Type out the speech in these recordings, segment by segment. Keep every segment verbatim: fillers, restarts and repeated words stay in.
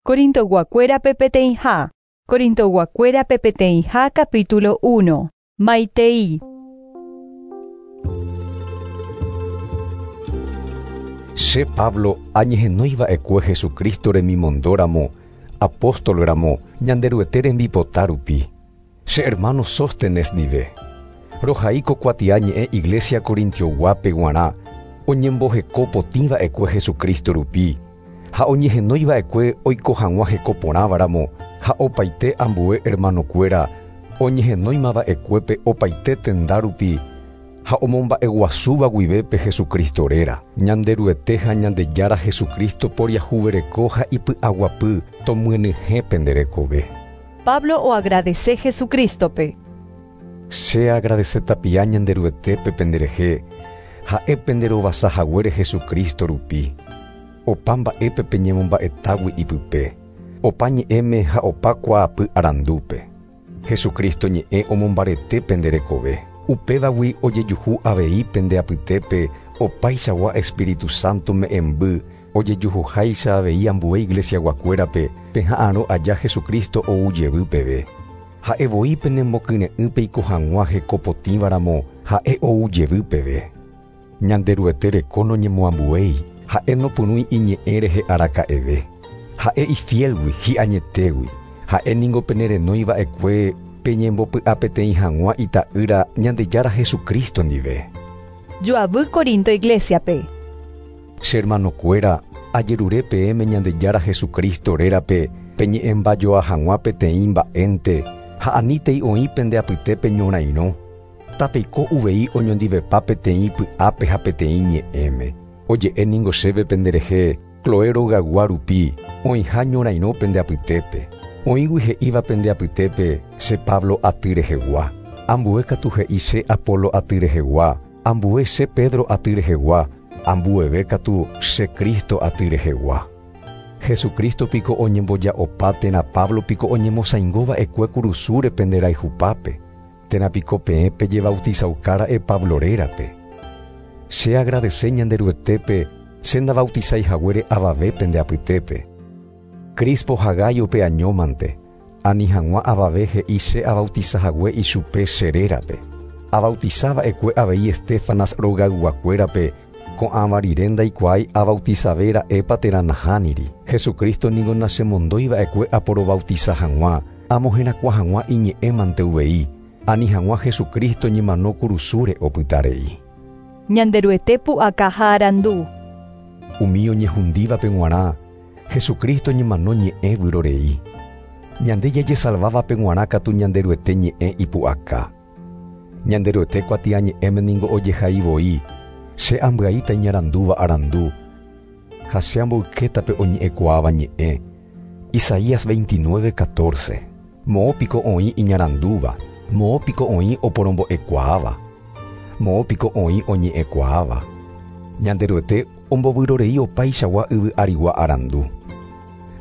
Corintoguakuéra peteĩha. Corintoguakuéra peteĩha capítulo uno. Maitei. Che Pablo añehenóiva'ekue Jesucristo remimondóramo, apóstol ramo, Ñanderuete rembipota rupi. Che hermano Sóstenes ndive. Rohaíko kuatia ñe'ẽ Iglesia Corintioguápe g̃uarã, oñemboheko potĩva'ekue Jesucristo rupi, ha oñehenóiva'ekue oiko hag̃ua heko porãvaramo, ha opaite ambue hermanokuéra oñehenóimava'ekuépe opaite tenda rupi, ha omomba'eguasúva guivépe Jesucristo réra. Ñanderuete ha Ñandejára Jesucristo poriahuvereko ha ipy'aguapy tomyenyhẽ pende rekove. Pablo oagradece Jesucristope. Che agradece tapia Ñanderuetépe penderehe, ha'e penderovasahaguére Jesucristo rupi. Opa mba'épe peñemomba'etágui ipype, opa ñe'ẽme ha opa kuaapy arandúpe. Jesucristo ñe'ẽ omombarete penderekove. Upévagui ojejuhu avei pende apytépe opaichagua Espíritu Santo me'ẽmby ojejuhuháicha avei ambue iglesiaguakuérape peha'arõ aja Jesucristo ou jevy peve. Ha'e voi penemokyre'ỹ peiko hag̃ua hekopotĩvaramo ha'e ou jevy peve. Ñanderuete reko noñemoambuéi, ha'e nopyrũi iñe'ẽ rehe araka'eve. Ha'e ifielgui hi'añetégui, ha'e ningo penerenóiva'ekue peñembopy'apeteĩ hag̃ua ita'ýra Ñandejára Jesucristo ndive. Joavy Corinto Iglesiape. Che hermanokuéra, ajerure peẽme Ñandejára Jesucristo rérape peñe'ẽmbajoa hag̃ua peteĩ mba'énte ha anítei oĩ pende apytépe ñorairõ. Tapeiko uvei oñondivepa peteĩ py'ápe ha peteĩ ñe'ẽme. Oje'e ningo chéve penderehe Cloé rogagua rupi oĩha ñorairõ pende apytépe. Oĩgui he'íva pende apytépe che Pablo aty rehegua. Ambue katu he'i che Apolo aty rehegua, ambue che Pedro aty rehegua, ambueve katu che Cristo aty rehegua. Jesucristo piko oñemboja'opa térã Pablo piko oñemosaingóva'ekue kurusúre penderayhupápe, térã piko peẽ pejebautizaukára'e Pablo rérape. Che agradece Ñanderuetépe che ndabautizaihaguére avave pende apytépe. Crispo ha Gayope añómante, ani hag̃ua avave he'i che abautizahague ichupe che rérape. Abautizava'ekue avei Estefanas rogayguakuérape, ko'ãva rire ndaikuaái abautizavéra'épa térã nahániri. Jesucristo ningo nachemondóiva'ekue aporobautiza hag̃ua, amoherakuã hag̃ua iñe'ẽmante uvei, ani hag̃ua Jesucristo ñemano kurusúre opytarei. Ñanderuete pu'aka ha arandu. Umi oñehundívape g̃uarã, Jesucristo ñemano ñe'ẽ vyrorei. Ñande jajesalvávape g̃uarã katu Ñanderuete ñe'ẽ ipu'aka. Ñanderuete kuatia ñe'ẽme ningo ojehai voi, che ambyaíta iñarandúva arandu, ha che amboykétape oñe'ẽkuaáva ñe'ẽ. Isaías veintinueve catorce. Moõ piko oĩ iñarandúva, moõ piko oĩ oporombo'ekuaáva, moõ piko oĩ oñe'ẽkuaáva. Ñanderuete ombovyrorei opaichagua yvy arigua arandu.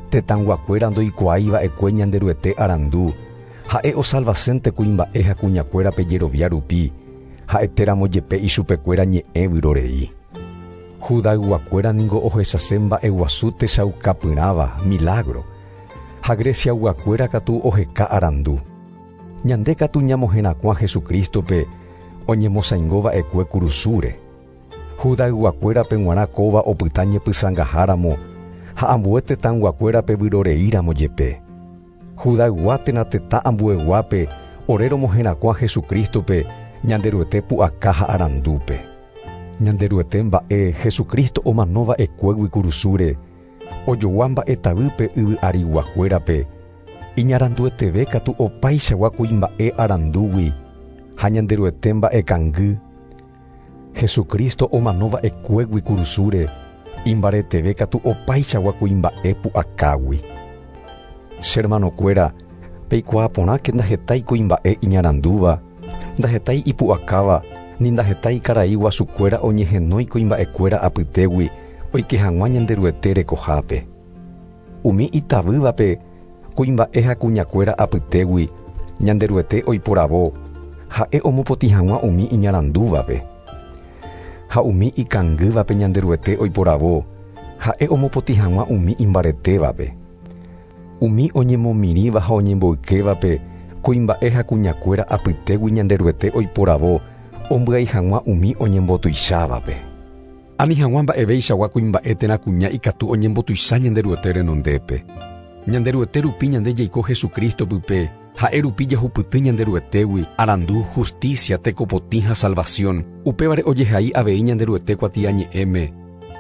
Tetãguakuéra ndoikuaáiva'ekue Ñanderuete arandu, ha'e osalvasénte kuimba'e ha kuñakuérape jerovia rupi, ha'etéramo jepe ichupekuéra ñe'ẽ vyrorei. Judayguakuéra ningo ohechase mba'eguasu techaukapyrãva, milagro, ha Greciaguakuéra katu oheka arandu. Ñande katu ñamoherakuã Jesucristope oñemosaingóva'ekue kurusúre. Judayguakuérape g̃uarã kóva opyta ñepysãngaháramo ha ambue tetãguakuérape vyroreíramo jepe. Judaygua térã tetã ambueguápe ore romoherakuã Jesucristope Ñanderuete pu'aka ha arandúpe. Ñanderuete mba'e Jesucristo omanova'ekuégui kurusúre, ojogua mba'etavýpe yvy ariguakuérape, iñarandueteve katu opaichagua kuimba'e arandúgui ha Ñanderuete mba'ekangy. Jesucristo omanova'ekuégui kurusúre, imbareteve katu opaichagua kuimba'e pu'akágui. Che hermanokuéra, peikuaa porãke ndahetái kuimba'e iñarandúva, ndahetái ipu'akáva, ni ndahetái karai guasukuéra oñehenói kuimba'ekuéra apytégui oike hag̃ua Ñanderuete rekohápe. Umi itavývape kuimba'e ha kuñakuéra apytégui Ñanderuete oiporavo, ha'e omopotĩ hag̃ua umi iñarandúvape. Ha umi ikangývape Ñanderuete oiporavo, ha'e omopotĩ hag̃ua umi imbaretévape. Umi oñemomirĩva ha oñemboykévape kuimba'e ha kuñakuéra apytégui Ñanderuete oiporavo ombyai hag̃ua umi oñembotuichávape. Ani hag̃ua mba'eveichagua kuimba'e térã kuña ikatu oñembotuicha Ñanderuete renondépe. Ñanderuete rupi ñande jaiko Jesucristo pype, ha'e rupi jahupyty Ñanderuetégui, arandu, justicia, tekopotĩ ha salvación. Upévare ojehai avei Ñanderuete kuatiañe'ẽme.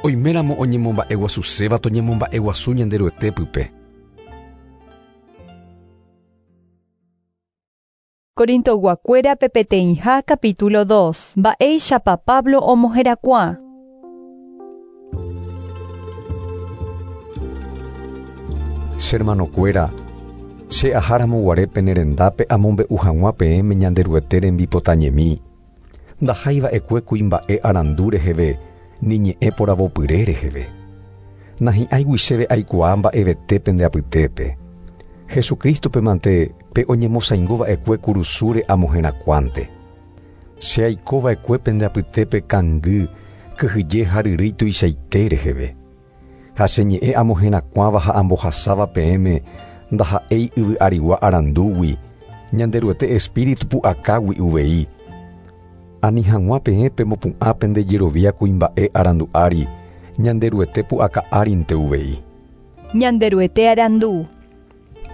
Oiméramo oñemomba'eguasuséva toñemomba'eguasu Ñanderuete pype. Corintoyguakuéra peteĩha capítulo dos. Mba'éichapa Pablo omoherakuã. Che hermanokuéra, che aháramo pene rendápe amombe'u hag̃ua peẽme Ñanderuete rembipotañemi. Ndahaiva'ekue kuimba'e arandu reheve, ni ñe'ẽ poravopyre reheve. Nahi'ãigui chéve aikuaa mba'evete pende apytépe. Jesucristo-pe mante pe oñemosaingova'ekue kurusúre amoherakuãnte. Che aikova'ekue pende apytépe kangy, kyhyje ha ryrýi tuichaite reheve. Ha che ñe'ẽ amoherakuãva ha ambohasáva peẽme ndaha'éi yvy arigua arandúgui, Ñanderuete espíritu pu'akágui uvei. Ani hag̃ua peẽ pemopu'ã pende jerovia kuimba'e arandu ári, Ñanderuete pu'aka árinte uvei. Ñanderuete arandu.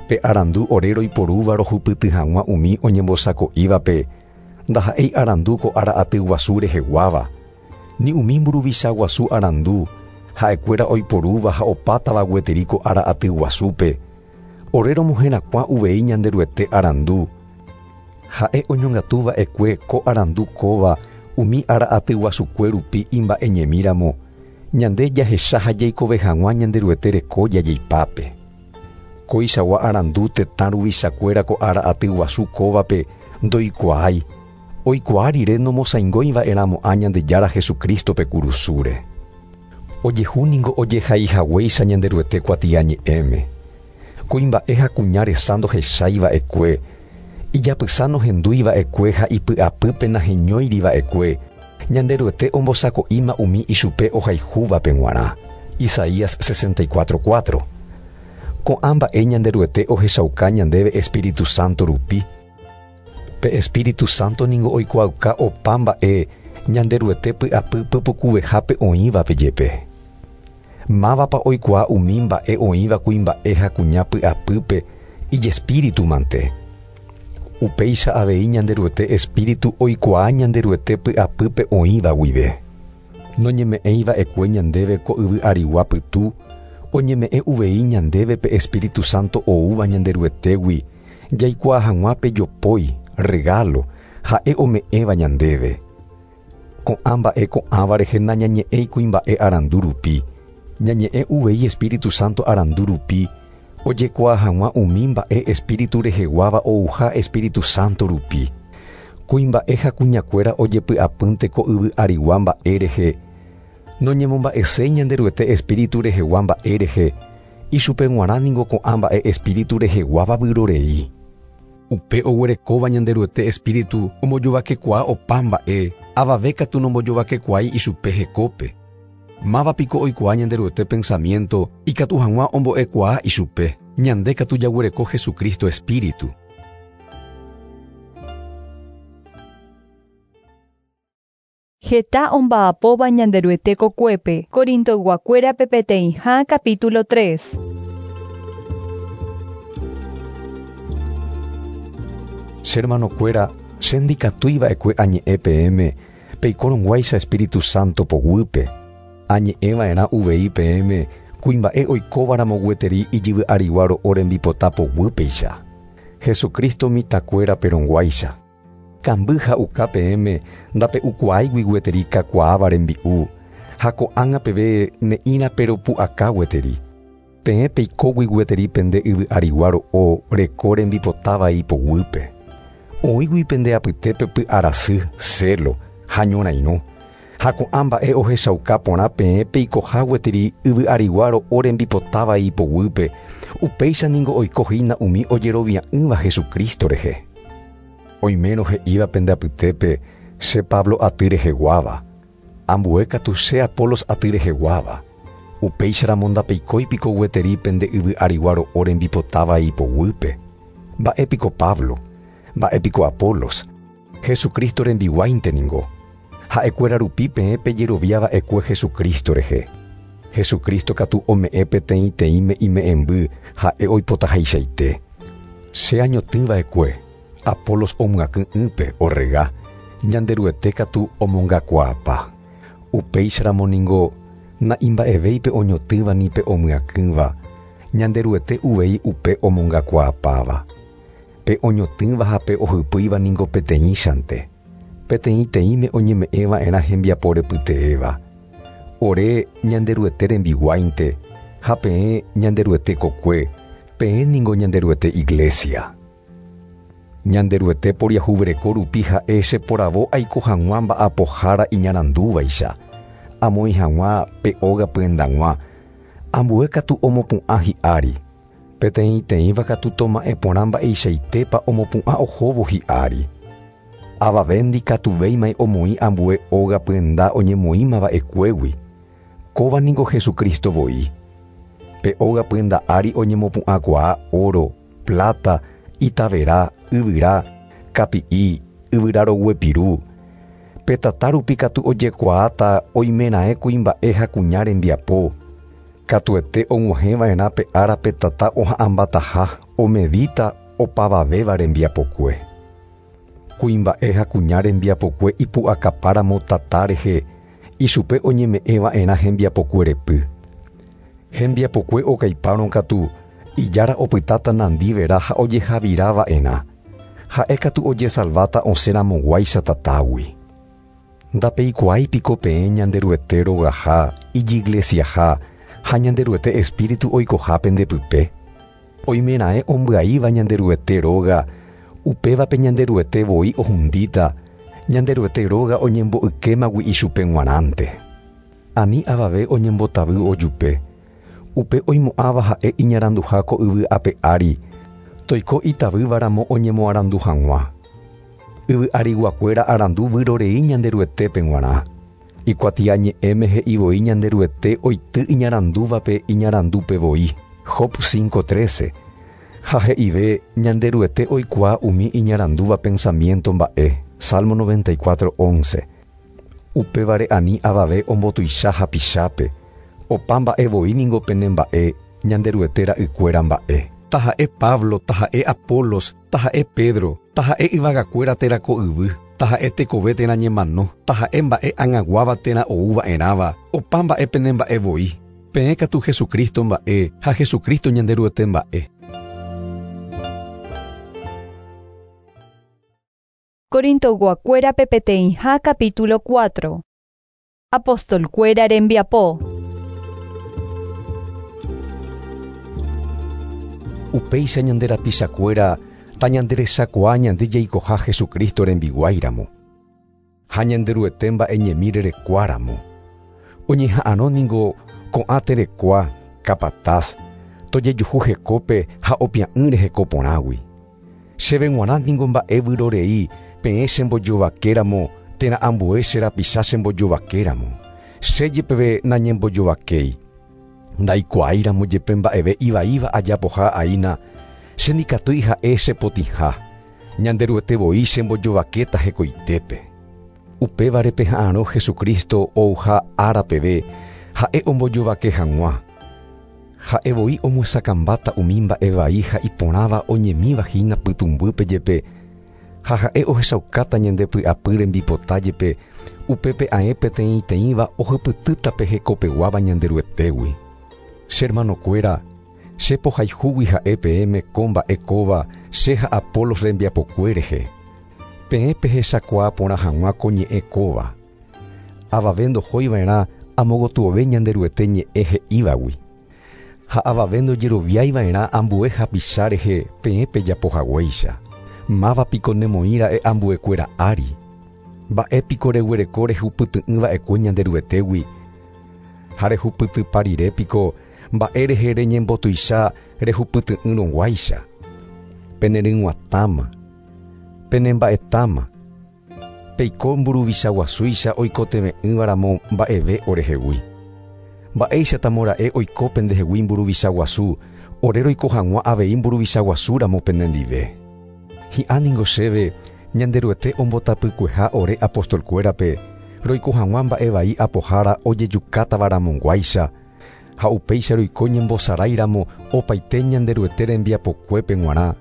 Pe arandu ore roiporúva rohupyty hag̃ua umi oñembosako'ívape, ndaha'éi arandu ko ára aty guasu reheguáva, ni umi mburuvicha guasu arandu, ha'ekuéra oiporúva ha opátava gueteri ko ára aty guasúpe. Ore romoherakuã uvei Ñanderuete arandu. Ha'e oñongatuva'ekue ko arandu kóva umi ára aty guasukue rupi imba'eñemíramo, ñande jahecha ha jaikove hag̃ua Ñanderuete reko jajeipápe. Koichagua arandu tetã ruvichakuéra ko ára aty guasu kóvape ndoikuaái, oikuaa rire nomosaingóiva'erãmo'ã Ñandejára Jesucristo-pe kurusúre. Ojehúningo ojehaihaguéicha Ñanderuete kuatiañe'ẽme. Kuimba'e ha kuña resa ndohechaiva'ekue, ijapysa nohendúiva'ekue ha ipy'apýpe naheñóiriva'ekue, Ñanderuete ombosako'íma umi ichupe ohayhúvape g̃uarã. Isaías sesenta y cuatro cuatro. Ko'ã mba'e Ñanderuete ohechauka ñandéve Espíritu Santo rupi. Pe Espíritu Santo ningo oikuaauka opa mba'e Ñanderuete py'apy pypukuvehápe oĩvape jepe. Mávapa oikuaa umi mba'e oĩva kuimba'e ha kuña py'apýpe ijespíritu mante. Upéicha avei Ñanderuete espíritu oikuaa Ñanderuete py'apýpe oĩva guive. Noñeme'ẽiva'ekue ñandéve ko yvy arigua pytu, oñeme'ẽ uvei ñandéve pe Espíritu Santo oúva Ñanderuetégui, jaikuaa hag̃ua pe jopói, regalo, ha'e ome'ẽva ñandéve. Ko'ã mba'e ko'ãva rehe nañañe'ẽi kuimba'e arandu rupi, ñañe'ẽ uvei Espíritu Santo arandu rupi, ojekuaa hag̃ua umi mba'e espíritu reheguáva ouha Espíritu Santo rupi. Kuimba'e ha kuñakuéra ojepy'apýnte ko yvy arigua mba'e rehe, noñemomba'eséi Ñanderuete espíritu rehegua mba'e rehe, ichupe g̃uarã ningo ko'ã mba'e espíritu reheguáva vyrorei. Upe oguerekóva Ñanderuete espíritu ombojovakekuaa opa mba'e, avave katu nombojovakekuaái ichupe hekópe. Mávapiko oikuaa Ñanderuete pensamiento ikatu hag̃ua ombo'ekuaa ichupe, ñande katu jaguereko Jesucristo espíritu. Heta omba'apóva Ñanderuete kokuépe. Corintoyguakuérape peteĩha capítulo tres. Che hermanokuéra, che ndikatúiva'ekue añe'ẽ peẽme, peikorõguáicha Espíritu Santo poguýpe. Añe'ẽva'erã uvei peẽme, kuimba'e oikóvaramo gueteri ijyvy arigua ro'o rembipota poguýpeicha. Jesucristo mitãkuéra perõguáicha. Kamby ha'uka peẽme ndape'ukuaáigui gueteri kakuaáva rembi'u, ha ko'ág̃a peve ne'ĩra peropu'aka gueteri. Peẽ peikógui gueteri pende yvy arigua ro'o reko rembipotávai poguýpe. Oĩgui pende apytépe py'arasy, celo ha ñorairõ. Ha ko'ã mba'e ohechauka porã peẽ peikoha gueteri yvy arigua ro'o rembipotávai poguýpe, upéicha ningo oikohína umi ojerovia'ỹva Jesucristo rehe. Oimérõ he'íva pende apytépe che Pablo aty reheguáva, ambue katu che Apolos aty reheguáva. Upéicharamo ndapeikói piko gueteri pende yvy arigua ro'o rembipotáva ipoguýpe. Mba'e piko Pablo, mba'e piko Apolos, Jesucristo rembiguáinte ningo. Ha'ekuéra rupi peẽ pejeroviava'ekue Jesucristo rehe. Jesucristo katu ome'ẽ peteĩteĩme ime'ẽmby ha'e oipotahaichaite. Che añotỹva'ekue, Apolos omyakỹ'ỹpe orrega, Ñanderuete katu omongakuaapa. Upéicharamo ningo na'imba'evéipe oñotỹva ni pe omyakỹva, Ñanderuete uvei upe omongakuaapáva. Pe oñotỹva ha pe ohypýiva ningo peteĩchante. Peteĩteĩme oñeme'ẽva'erã hembiapo repyteéva. Ore Ñanderuete rembiguáinte, ha peẽ Ñanderuete kokue, peẽ ningo Ñanderuete iglesia. Ñanderuete poriahuvereko rupi ha'e cheporavo aiko hag̃ua mba'apohára iñarandúvaicha, amoĩ hag̃ua pe óga pyendag̃ua, ambue katu omopu'ã hi'ári. Peteĩteĩva katu toma'ẽ porã mba'eichaitépa omopu'ã ohóvo hi'ári. Avave ndikatuvéimai omoĩ ambue óga pyenda oñemoĩmava'ekuégui. Kóva ningo Jesucristo voi. Pe óga pyenda ári oñemopu'ãkuaa oro, plata, itavera, yvyra, kapi'i, yvyra roguepiru. Pe tata rupi katu ojekuaáta oimeraẽ kuimba'e ha kuña rembiapo. Katuete og̃uahẽva'erã pe ára pe tata oha'ãmbataha omedíta opavavéva rembiapokue. Kuimba'e ha kuña rembiapokue ipu'akapáramo tata rehe, ichupe oñeme'ẽva'erã hembiapokue repy. Hembiapokue okaipárõ katu, ijára opytáta nandivera ha ojehavirava'erã. Ha'e katu ojesalváta osẽramoguáicha tatágui. Ndapeikuaái piko peẽ Ñanderuete rogaha, ijiglesiaha, ha Ñanderuete espíritu oikoha pendepype. Oimeraẽ ombyaíva Ñanderuete róga, upévape Ñanderuete voi ohundíta, Ñanderuete róga oñembo'ykémagui ichupe g̃uarãnte. Ani avave oñembotavy ojupe. Upe oimo'ãva ha'e iñaranduha ko yvy ape ári, toiko itavývaramo oñemoarandu hag̃ua. Yvy ariguakuéra arandu vyrorei Ñanderuetépe g̃uarã. Ikuatiañe'ẽme he'i voi Ñanderuete oity iñarandúvape iñarandúpe voi. Job cinco trece. Ha he'ive Ñanderuete oikuaa umi iñarandúva pensamiento mba'e. Salmo noventa y cuatro once. Upévare ani avave ombotuicha hapichápe. Opa mba'e voi ningo pene mba'e, Ñanderuete ra'ykuéra mba'e. Taha'e Pablo, taha'e Apolos, taha'e Pedro, taha'e yvagakuéra térã ko yvy, taha'e tekove térã ñemano, taha'e mba'e ag̃aguáva térã oúva'erãva, opa mba'e pene mba'e voi. Peẽ katu Jesucristo mba'e ha Jesucristo Ñanderuete mba'e. Corintoyguakuérape peteĩha capítulo cuatro. Apostolkuéra rembiapo. Upéicha ñanderapichakuéra tañanderechakuaa ñande jaikoha Jesucristo rembiguáiramo. Ha Ñanderuete mba'e ñemi rerekuáramo. Oñeha'ãrõ ningo ko'ã terekua, capataz, tojejuhu hekópe ha opia'ỹre heko porãgui. Chéve g̃uarã ningo mba'e vyrorei peẽ chembojovakéramo térã ambue che rapicha chembojovakéramo. Che jepeve nañembojovakéi. Ndaikuaáiramo jepe mba'eve ivaíva ajapoha aína, che ndikatúi ha'e chepotĩha. Ñanderuete voi chembojovakéta hekoitépe. Upévare peha'ãrõ Jesucristo ouha ára peve, ha'e ombojovake hag̃ua. Ha'e voi omyesakãmbáta umi mba'e vai ha iporãva oñemíva hína pytũmbýpe jepe, ha ha'e ohechaukáta ñandepy'apy rembipota jepe, upépe aẽ peteĩteĩva ohypytýta pe hekopeguáva Ñanderuetégui. Che hermanokuéra, che pohayhúgui ha'e peẽme ko mba'e kóva che ha Apolos rembiapokue rehe. Peẽ pehechakuaa porã hag̃ua ko ñe'ẽ kóva. Avave ndohóiva'erã amogotyove Ñanderuete ñe'ẽ he'ívagui. Ha avave ndojeroviaiva'erã ambue hapicha rehe peẽ pejapohaguéicha. Máva piko nemoĩra'e ambuekuéra ári. Mba'e piko reguereko rehupyty'ỹva'ekue Ñanderuetégui. Ha rehupytypa rire piko mba'e rehe reñembotuicha rehupyty'ỹrõguáicha. Peneryg̃uatãma, penemba'etáma. Peiko mburuvicha guasúicha oikotevẽ'ỹvaramo mba'eve orehegui. Mba'éichatamora'e oiko pendehegui mburuvicha guasu, ore roiko hag̃ua avei mburuvicha guasúramo penendive. Hi'ã ningo chéve Ñanderuete ombotapykueha ore apostolkuérape, roiko hag̃ua mba'e vai apohára ojejukátavaramog̃uáicha, ha upéicha roiko ñembosaráiramo opaite Ñanderuete rembiapokuépe g̃uarã,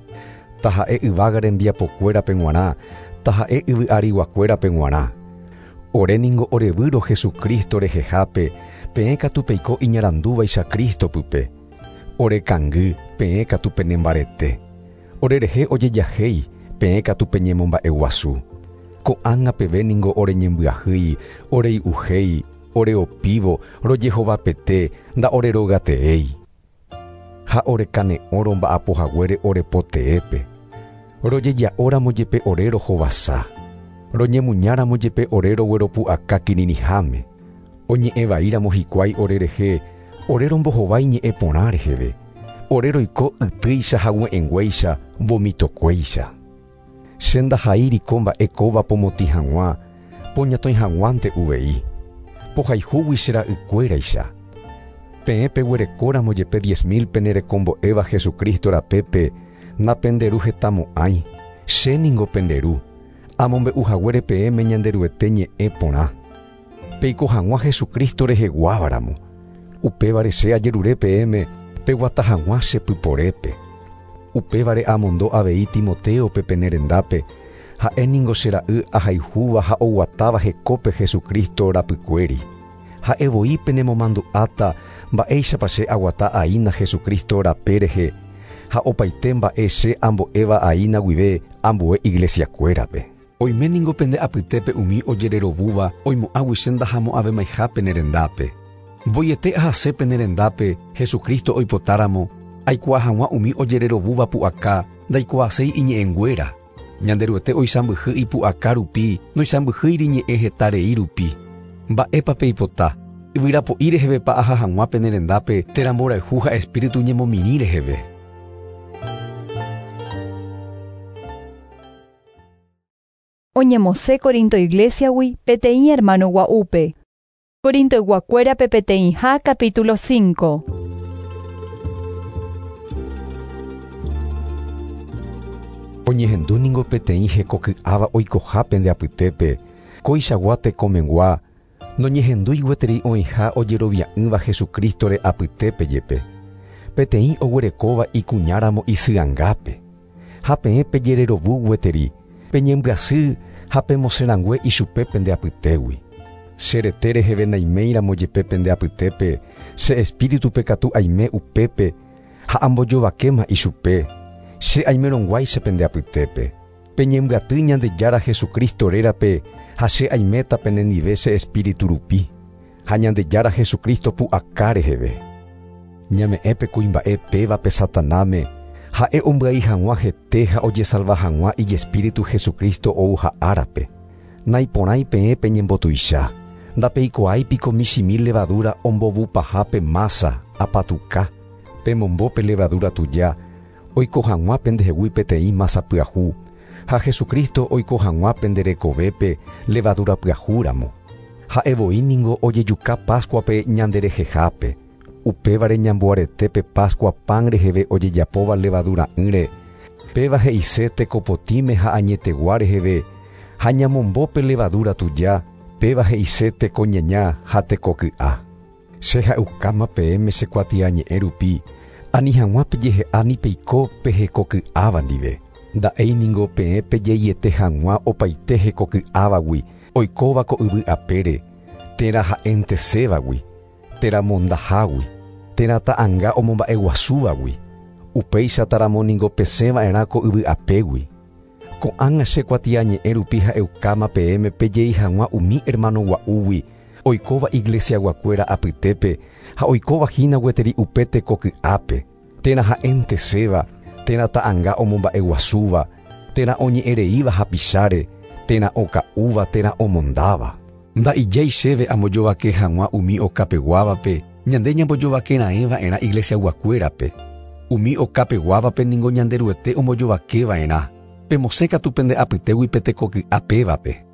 taha'e yvága rembiapokuérape g̃uarã, taha'e yvy ariguakuérape g̃uarã. Ore ningo orevýro Jesucristo rehehápe, peẽ katu peiko iñarandúvaicha Cristo pype. Ore kangy, peẽ katu penembarete. Orerehe ojejahéi, peẽ katu peñemomba'eguasu. Ko'ág̃a peve ningo oreñembyahýi, orei'uhéi, oreopívo, rojehovapete, nda'orerogateéi. Ha orekane'õ romba'apohaguére orepoteépe. Rojeja'óramo jepe ore rohovasa. Roñemuñáramo jepe ore rogueropu'aka kirirĩháme. Oñe'ẽvaíramo hikuái orerehe, ore rombohovái ñe'ẽ porã reheve. Ore roiko ytýicha hague'ẽnguéicha, vomitokuéicha. Che ndahaíriko mba'e kóva pomotĩ hag̃ua, poñatõi hag̃uánte uvei. Pohayhúgui che ra'ykuéraicha. Peẽ peguerekóramo jepe diez mil penerekombo'éva Jesucristo rapépe, napenderu hetamo'ãi, che ningo penderu, amombe'uhaguére peẽme Ñanderuete ñe'ẽ porã. Peiko hag̃ua Jesucristo reheguávaramo. Upévare che ajerure peẽme peguata hag̃ua che pyporépe. Upévare amondo avei Timoteope penerendápe, ha'e ningo che ra'y ahayhúva ha oguatáva hekópe Jesucristo rapykuéri. Ha'e voi penemomandu'áta mba'éichapa che aguata aína Jesucristo rape rehe, ha opaite mba'e che ambo'éva aína guive ambue iglesiakuérape. Oime ningo pende apytépe umi ojererovúva oimo'ãgui che ndahamo'ãvemaiha penerendápe. Voiete ahase penerendápe Jesucristo oipotáramo, aikuaa hag̃ua umi ojererovúva pu'aka ndaikuaaséi iñe'ẽnguéra. Ñanderuete oisãmbyhy ipu'aka rupi, noisãmbyhýiri ñe'ẽ heta rei rupi. Mba'épa peipota, yvyrapo'i rehevepa aha hag̃ua penerendápe térã mborayhu ha espíritu ñemomirĩ reheve. Oñemosẽ Corinto iglesiagui peteĩ hermano gua'úpe. Corintoyguakuérape peteĩha capítulo cinco. Oñehendu ningo peteĩ hekoky'áva oikoha pende apytépe, kóichagua tekomegua, noñehendúi gueteri oĩha ojerovia'ỹva Jesucristore apytépe jepe. Peteĩ oguerekóva ikuñáramo isy'angápe. Ha peẽ pejererovu gueteri, peñembyasy ha pemosẽrangue ichupe pende apytégui. Che rete reheve naiméiramo jepe pende apytépe, che espíritupe katu aime upépe ha ambojovakéma ichupe. Che aimerõguáicha pende apytépe. Peñembyaty Ñandejára Jesucristo rérape ha che aiméta penendive che espíritu rupi. Ha Ñandejára Jesucristo pu'aka reheve. Ñame'ẽpe kuimba'e pévape Satanáme, ha'e ombyai hag̃ua hete ha ojesalva hag̃ua ijespíritu Jesucristo ouha árape. Naiporãi peẽ peñembotuicha. Ndapeikuaáipiko michĩmi levadura ombovupahápe masa apatuka. Pemombópe levadura tuja, oiko hag̃ua pendehegui peteĩ masa pyahu, ha Jesucristo oiko hag̃ua penderekovépe levadura pyahúramo. Ha'e voi ningo ojejuka Pascuape ñanderehehápe. Upévare ñamboaretépe Pascua pan reheve ojejapóva levadura'ỹre. Péva he'ise tekopotĩme ha añetegua reheve, ha ñamombópe levadura tuja, péva he'ise tekoñaña ha tekoky'a. Che ha'ukáma peẽme che kuatiañe'ẽ rupi, ani hag̃ua pejehe'a ni peiko pehekoky'áva ndive. Nda'éi ningo peẽ pejeiete hag̃ua opaite hekoky'ávagui, oikóva ko yvy apére, térã ha'entesévagui, térã mondahágui, térã ta'ãnga omomba'eguasúvagui. Upéichataramo ningo pesẽva'erã ko yvy apégui. Ko'ág̃a che kuatiañe'ẽ rupi ha'eukáma peẽme pejei hag̃ua umi hermano gua'úgui, oikóva iglesiaguakuéra apytépe ha oikóva hína gueteri upe tekoky'ápe, térã ha'enteséva, térã ta'ãnga omomba'eguasúva, térã oñe'ẽreíva hapicháre, térã oka'úva térã omondáva. Nda'ijái chéve ambojovake hag̃ua umi okapeguávape, ñande ñambojovakera'ẽva'erã iglesiaguakuérape. Umi okapeguávape ningo Ñanderuete ombojovakeva'erã. Pemosẽ katu pende apytégui pe tekoky'a pévape.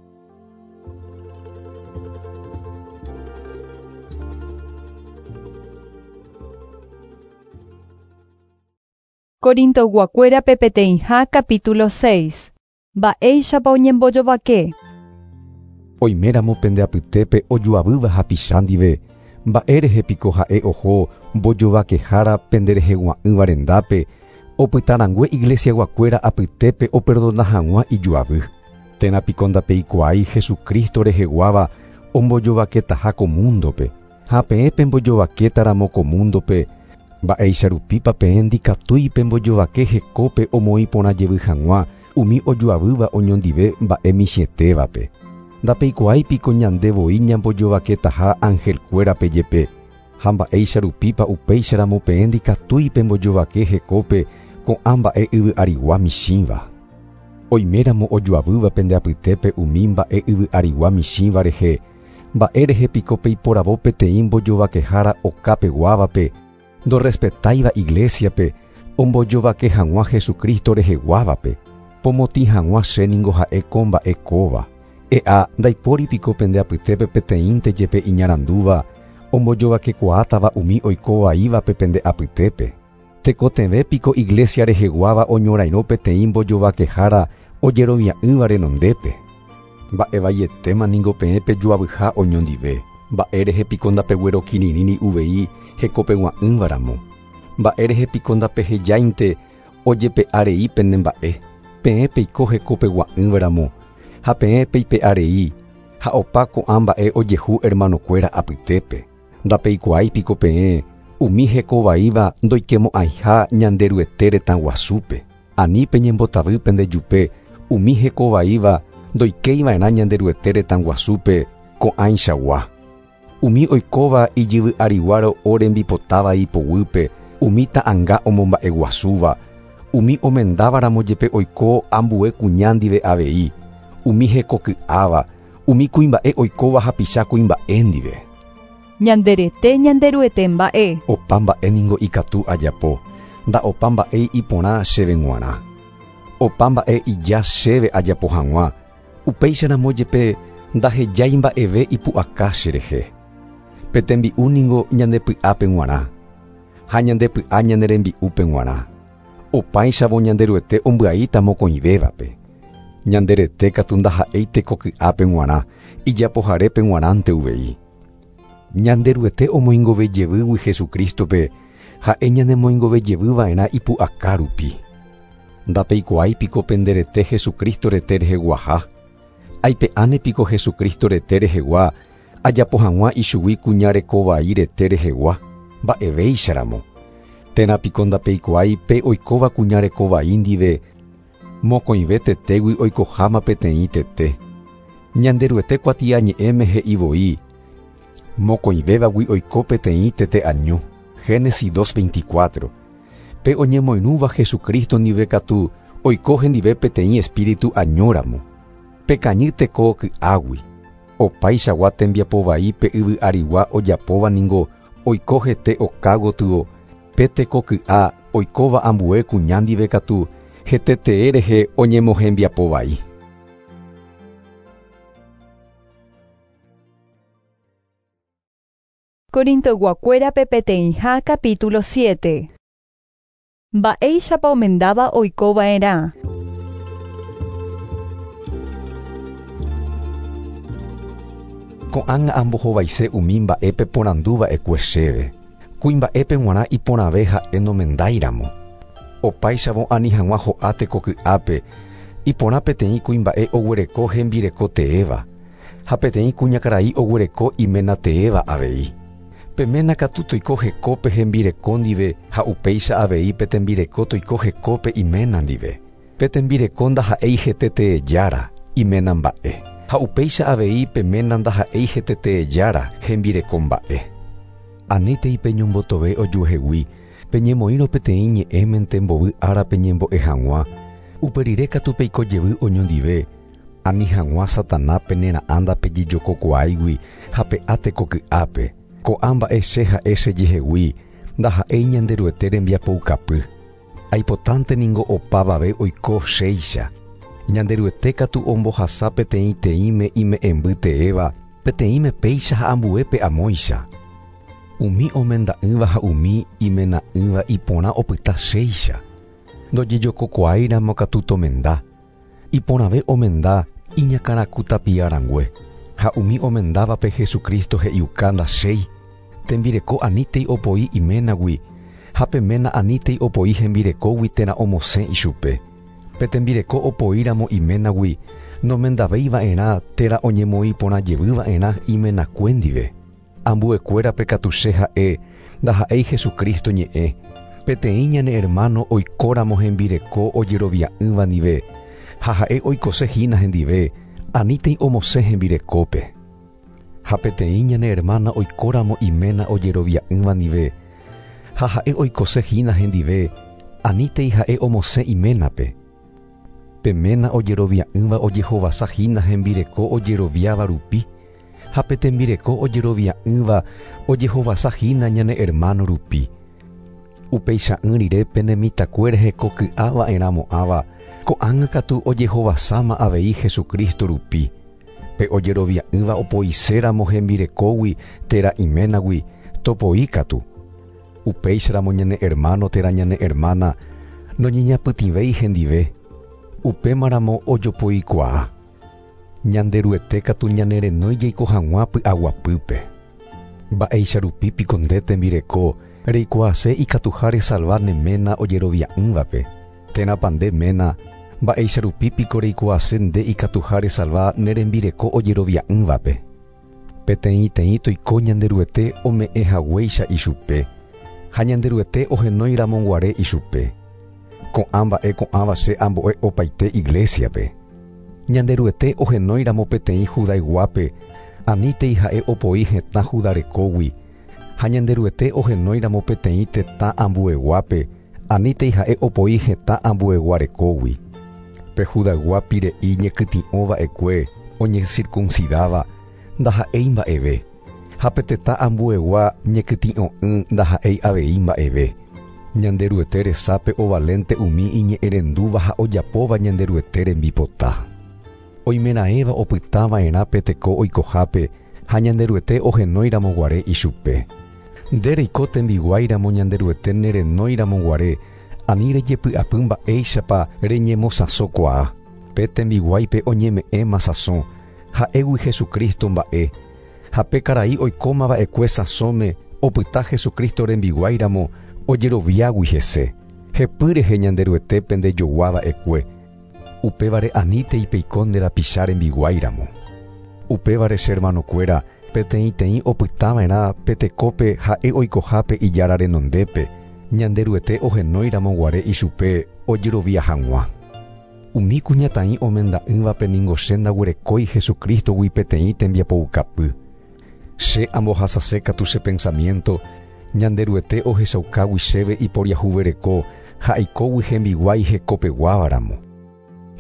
Corintoyguakuérape peteĩha capítulo seis. Mba'éichapa oñembojovake. Oiméramo pende apytépe ojoavýva hapicha ndive, mba'érehe piko ha'e oho mbojovakehára penderehegua'ỹva rendápe, opytarãngue iglesiaguakuéra apytépe operdona hag̃ua ijoavy. Térã piko ndapeikuaái Jesucristo reheguáva ombojovaketaha ko mundope, ha peẽ pembojovakétaramo ko mundope, mba'éicha rupípa peẽ ndikatúi pembojovake hekópe omoĩ porã jevy hag̃ua umi ojoavýva oñondive mba'e michĩetévape. Ndapeikuaái piko ñande voi ñambojovaketaha angelkuérape jepe, ha mba'éicha rupípa upéicharamo peẽ ndikatúi pembojovake hekópe ko'ã mba'e yvy arigua michĩva. Oiméramo ojoavýva pende apytépe umi mba'e yvy arigua michĩva rehe, mba'érehe piko peiporavo peteĩ mbojovakehára okapeguávape, ndorrespetáiva iglesiape, ombojovake hag̃ua Jesucristo reheguávape, pomotĩ hag̃ua che ningo ha'e ko mba'e kóva. E'a ndaipóri piko pende apytépe peteĩnte jepe iñarandúva, ombojovakekuaátava umi oikovaívape pende apytépe. Tekotevẽ piko iglesia reheguáva oñorairõ peteĩ mbojovakehára ojerovia'ỹva renondépe. Mba'evaietéma ningo peẽ pejoavyha oñondive, mba'érehe piko ndapeguerokirirĩri uvei hekopegua'ỹvaramo. Mba'érehe piko ndapehejáinte ojepe'arei pene mba'e, peẽ peiko hekopegua'ỹvaramo, ha peẽ peipe'arei, ha opa ko'ã mba'e ojehu hermanokuéra apytépe. Ndapeikuaái piko peẽ umi hekovaíva ndoikemo'ãiha Ñanderuete retã guasúpe. Ani peñembotavy pendejupe umi hekovaíva ndoikeiva'erã Ñanderuete retã guasúpe ko'ãichagua. Umi oikóva ijyvy ariguáro orembipotáva ipoguýpe, umi ta'ãnga omomba'eguasúva, umi omendávaramo jepe oiko ambue kuña ndive avei, umi hekoky'áva, umi kuimba'e oikóva hapicha kuimba'e ndive. Ñanderete Ñanderuete mba'e. Opa mba'e ningo ikatu ajapo, nda'opa mba'e iporã chéve g̃uarã. Opa mba'e ija chéve ajapo hag̃ua, upéicharamo jepe ndahejái mba'eve ipu'aka cherehe. Pe tembi'u ningo ñandepy'ápe g̃uarã, ha ñandepy'a ñane rembi'úpe g̃uarã. Opáichavo Ñanderuete ombyaíta mokõivévape. Ñanderete katu ndaha'éi tekoky'ápe g̃uarã, ijapoharépe g̃uarãnte uvei. Ñanderuete omoingovejevýgui Jesucristope, ha'e ñanemoingovejevyva'erã ipu'aka rupi. Ndapeikuaái piko penderete Jesucristo rete reheguaha. Aipe'áne piko Jesucristo rete rehegua, ajapo hag̃ua ichugui kuña rekovai rete rehegua, mba'evéicharamo. Térã piko ndapeikuaái pe oikóva kuña rekovai ndive, mokõive tetégui oikoháma peteĩ tete. Ñanderuete kuatiañe'ẽme he'i voi, mokõivévagui oiko peteĩ tete año. Génesis dos veinticuatro. Pe oñemoirũva Jesucristo ndive katu oiko hendive peteĩ espíritu añóramo. Pekañy teko ky'águi. Opaichagua tembiapovai pe yvy arigua ojapóva ningo oiko hete oka gotyo, pe teko ky'a oikóva ambue kuña ndive katu hetetee rehe oñemohembiapovai. Corintoyguakuérape peteĩha capítulo siete. Mba'éichapa omendáva oikova'erã. Ko'ág̃a ambohovaise umi mba'épe porandúva'ekue chéve. Kuimba'épe g̃uarã iporãve ha'e nomendáiramo. Opáichavo ani hag̃ua ho'a tekoky'ápe, iporã peteĩ kuimba'e oguereko hembireko teéva, ha peteĩ kuñakarai oguereko iména teéva avei. Pe ména katu toiko hekópe hembireko ndive ha upéicha avei pe tembireko toiko hekópe iména ndive. Pe tembireko ndaha'éi heteteejára, iména mba'e. Ha upéicha avei pe ména ndaha'éi heteteejára, hembireko mba'e. Anítei peñombotove ojuehegui, peñemoĩrõ peteĩ ñe'ẽmente mbovy ára peñembo'e hag̃ua, uperire katu peiko jevy oñondive, ani hag̃ua Sataná penera'ã ndapejejokokuaáigui ha pe'a tekoky'ápe. Ko'ã mba'e che ha'e chejehegui, ndaha'éi Ñanderuete rembiapoukapy. Aipotánte ningo opavave oiko chéicha. Ñanderuete katu ombohasa peteĩ teĩme ime'ẽmby teéva, peteĩme péicha ha ambuépe amóicha. Umi omenda'ỹva ha umi imena'ỹva iporã opyta chéicha. Ndojejokokuaáiramo katu tomenda. Iporãve omenda iñakãraku tapiarangue. Ha umi omendávape Jesucristo he'iuka ndachéi. Tembireko anítei opoi iménagui, ha pe ména anítei opoi hembirekógui térã omosẽ ichupe. Pe tembireko opoíramo iménagui, nomendavéiva'erã térã oñemoĩporãjevyva'erã imenakue ndive. Ambuekuérape katu che ha'e ndaha'éi Jesucristo ñe'ẽ. Peteĩ ñane hermano oikóramo hembireko ojerovia'ỹva ndive, ha ha'e oikosehína hendive, anítei omosẽ hembirekópe. Ha peteĩ ñane hermana oikóramo iména ojerovia'ỹva ndive, ha ha'e oikosehína hendive, anítei ha'e omosẽ iménape. Pe ména ojerovia'ỹva ojehovasahína hembireko ojeroviáva rupi, ha pe tembireko ojerovia'ỹva ojehovasahína ñane hermano rupi. Upeicha'ỹ rire pene mitãkuéra hekoky'ava'erãmo'ãva, ko'ág̃a katu ojehovasáma avei Jesucristo rupi. Pe ojerovia'ỹva opoiséramo hembirekógui térã iménagui, topoi katu. Upéicharamo ñane hermano térã ñane hermana noñeñapytĩvéi hendive, upémaramo ojopoikuaa. Ñanderuete katu ñanerenói jaiko hag̃ua py'aguapýpe. Mba'éicha rupi piko nde tembireko reikuaase ikatuha resalva ne ména ojerovia'ỹvape. Térãpa nde ména mba'éicha rupi piko reikuaase nde ikatuha resalva ne rembireko ojerovia'ỹvape. Peteĩteĩ toiko Ñanderuete ome'ẽhaguéicha ichupe, ha Ñanderuete ohenóiramoguare ichupe. Ko'ã mba'e ko'ãva che ambo'e opaite iglesiape. Ñanderuete ohenóiramo peteĩ Judayguápe, anítei ha'e opoi hetã Judarekógui, ha Ñanderuete ohenóiramo peteĩ tetã ambueguápe, anítei ha'e opoi hetã ambueguarekógui. Pe Judaygua pire'i ñekytĩ'ova'ekue oñecircuncidáva ndaha'éi mba'eve, ha pe tetã ambuegua ñekytĩ'o'ỹ ndaha'éi avei mba'eve. Ñanderuete resápe ovalente umi iñe'ẽrendúva ha ojapóva Ñanderuete rembipota. Oimeraẽva opytava'erã pe teko oikohápe ha Ñanderuete ohenóiramoguare ichupe. Nde reiko tembiguáiramo Ñanderuete nerenóiramoguare, ani rejepy'apy mba'éichapa reñemosãsokuaa. Pe tembiguáipe oñeme'ẽma sãso, ha'égui Jesucristo mba'e. Ha pe karai oikómava'ekue sãsóme opyta Jesucristo rembiguáiramo ojeroviágui hese. Hepy rehe Ñanderuetépe ndejoguáva'ekue. Upévare anítei peiko nde rapicha rembiguáiramo. Upévare che hermanokuéra peteĩteĩ opytava'erã pe tekópe ha'e oikohápe ijára renondépe, Ñanderuete ohenóiramoguare ichupe ojerovia hag̃ua. Umi kuñataĩ omenda'ỹvape ningo che ndaguerekói Jesucristogui peteĩ tembiapoukapy. Che ambohasase katu che pensamiento, Ñanderuete ohechaukágui chéve iporiahuvereko ha aikógui hembiguái hekopeguávaramo.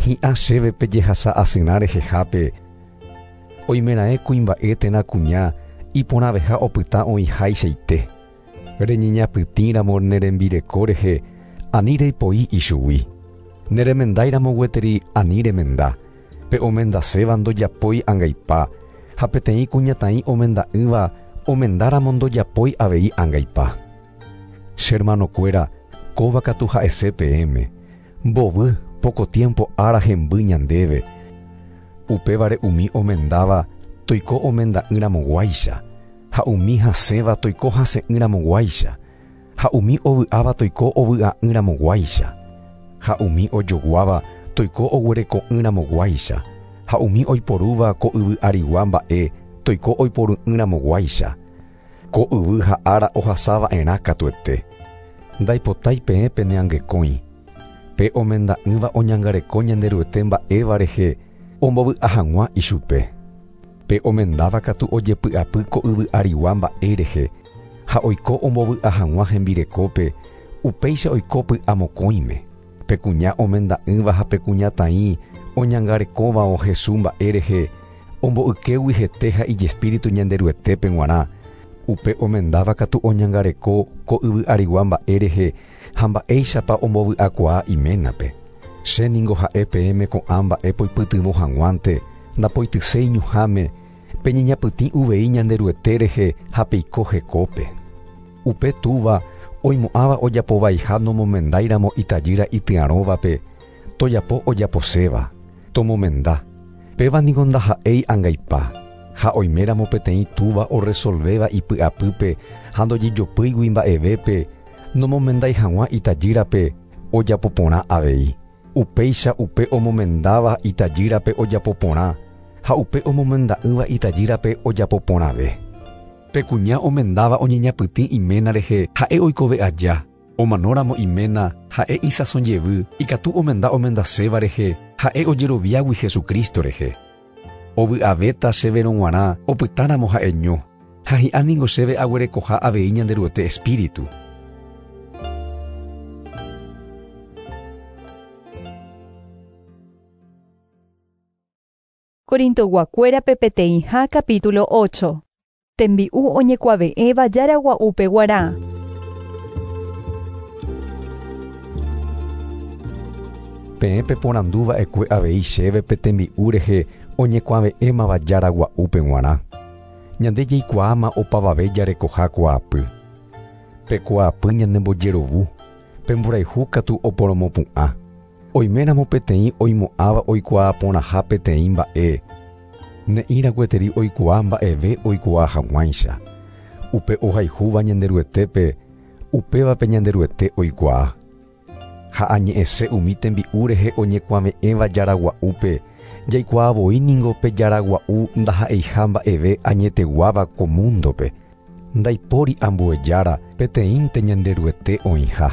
Hi'ã chéve pejehasa asyrã rehehápe, oimeraẽ kuimba'e térã kuña iporãveha opyta oĩháichaite. Reñeñapytĩramo ne rembireko rehe, ani reipoi ichugui. Neremendáiramo gueteri ani remenda. Pe omendaséva ndojapói angaipa, ha peteĩ kuñataĩ omenda'ỹva omendáramo ndojapói avei angaipa. Che hermanokuéra, kóva katu ha'ese peẽme. Mbovy poco tiempo ára hemby ñandéve. Upévare umi omendáva toiko omenda'ỹramoguáicha, ha umi hasẽva toiko hasẽ'ỹramoguáicha, ha umi ovy'áva toiko ovy'a'ỹramoguáicha, ha umi ojoguáva toiko oguereko'ỹramoguáicha, ha umi oiporúva ko yvy arigua mba'e toiko oiporu'ỹramoguáicha. Ko yvy ha ára ohasava'erã katuete. Ndaipotái peẽ peneangekõi. Pe omenda'ỹva oñangareko Ñanderuete mba'éva rehe ombovy'a hag̃ua ichupe. Pe omendáva katu ojepy'apy ko yvy arigua mba'e rehe, ha oiko ombovy'a hag̃ua hembirekópe, upéicha oiko py'amokõime. Pe kuña omenda'ỹva ha pe kuñataĩ oñangarekóva Jesús mba'e rehe, omboykégui hete ha ijespíritu Ñanderuetépe g̃uarã. Upe omendáva katu oñangareko ko yvy arigua mba'e rehe ha mba'éichapa ombovy'akuaa iménape. Che ningo ha'e peẽme ko'ã mba'e poipytyvõ hag̃uánte, ndapoityséi ñuhãme, peñeñapytĩ uvei Ñanderuete rehe ha peiko hekópe. Upe túva Oimo'ãva ojapovaiha nomomendáiramo itajýra ityarõvape, tojapo ojaposéva, tomomenda. Péva niko ndaha'éi angaipa. Ha oiméramo peteĩ túva oresolvéva ipy'apýpe ha ndojejopýigui mba'evépe, nomomendái hag̃ua itajýrape ojapoporã avei. Upéicha upe omomendáva itajýrape ojapoporã ha upe omomenda'ỹva itajýrape ojapoporãve. Pe kuña omendáva oñeñapytĩ iména rehe ha'e oikove aja. Omanóramo iména ha'e isãsojevy ikatu omenda omendaséva rehe ha'e ojeroviágui Jesucristo rehe. Ovy'avéta chéverõ g̃uarã opytáramo ha'eño ha hi'a ningo chéve aguerekoha avei Ñanderuete Espíritu. Corintoguakuérape peteĩha capítulo ocho. Tembi'u oñekuave'ẽva jaragua'úpe guarã. Peẽ peporanduva'ekue avei chéve pe tembi'u rehe oñekuave'ẽmava jaragua'úpe g̃uarã. Ñande jaikuaáma opavave jarekoha kuaapy. Pe kuaapy ñanembojerovu, pe mborayhu katu oporomopu'ã. Oiméramo peteĩ oimo'ãva oikuaa porãha peteĩ mba'e, ne'ĩra gueteri oikuaa mba'eve oikuaa hag̃uáicha. Upe ohayhúva Ñanderuetépe, upévape Ñanderuete oikuaa. Ha añe'ẽse umi tembi'u rehe oñekuave'ẽva jaragua'úpe, jaikuaa voi ningo pe jaragua'u ndaha'eiha mba'eve añeteguáva ko mundope. Ndaipóri ambue jára peteĩnte Ñanderuete oĩha.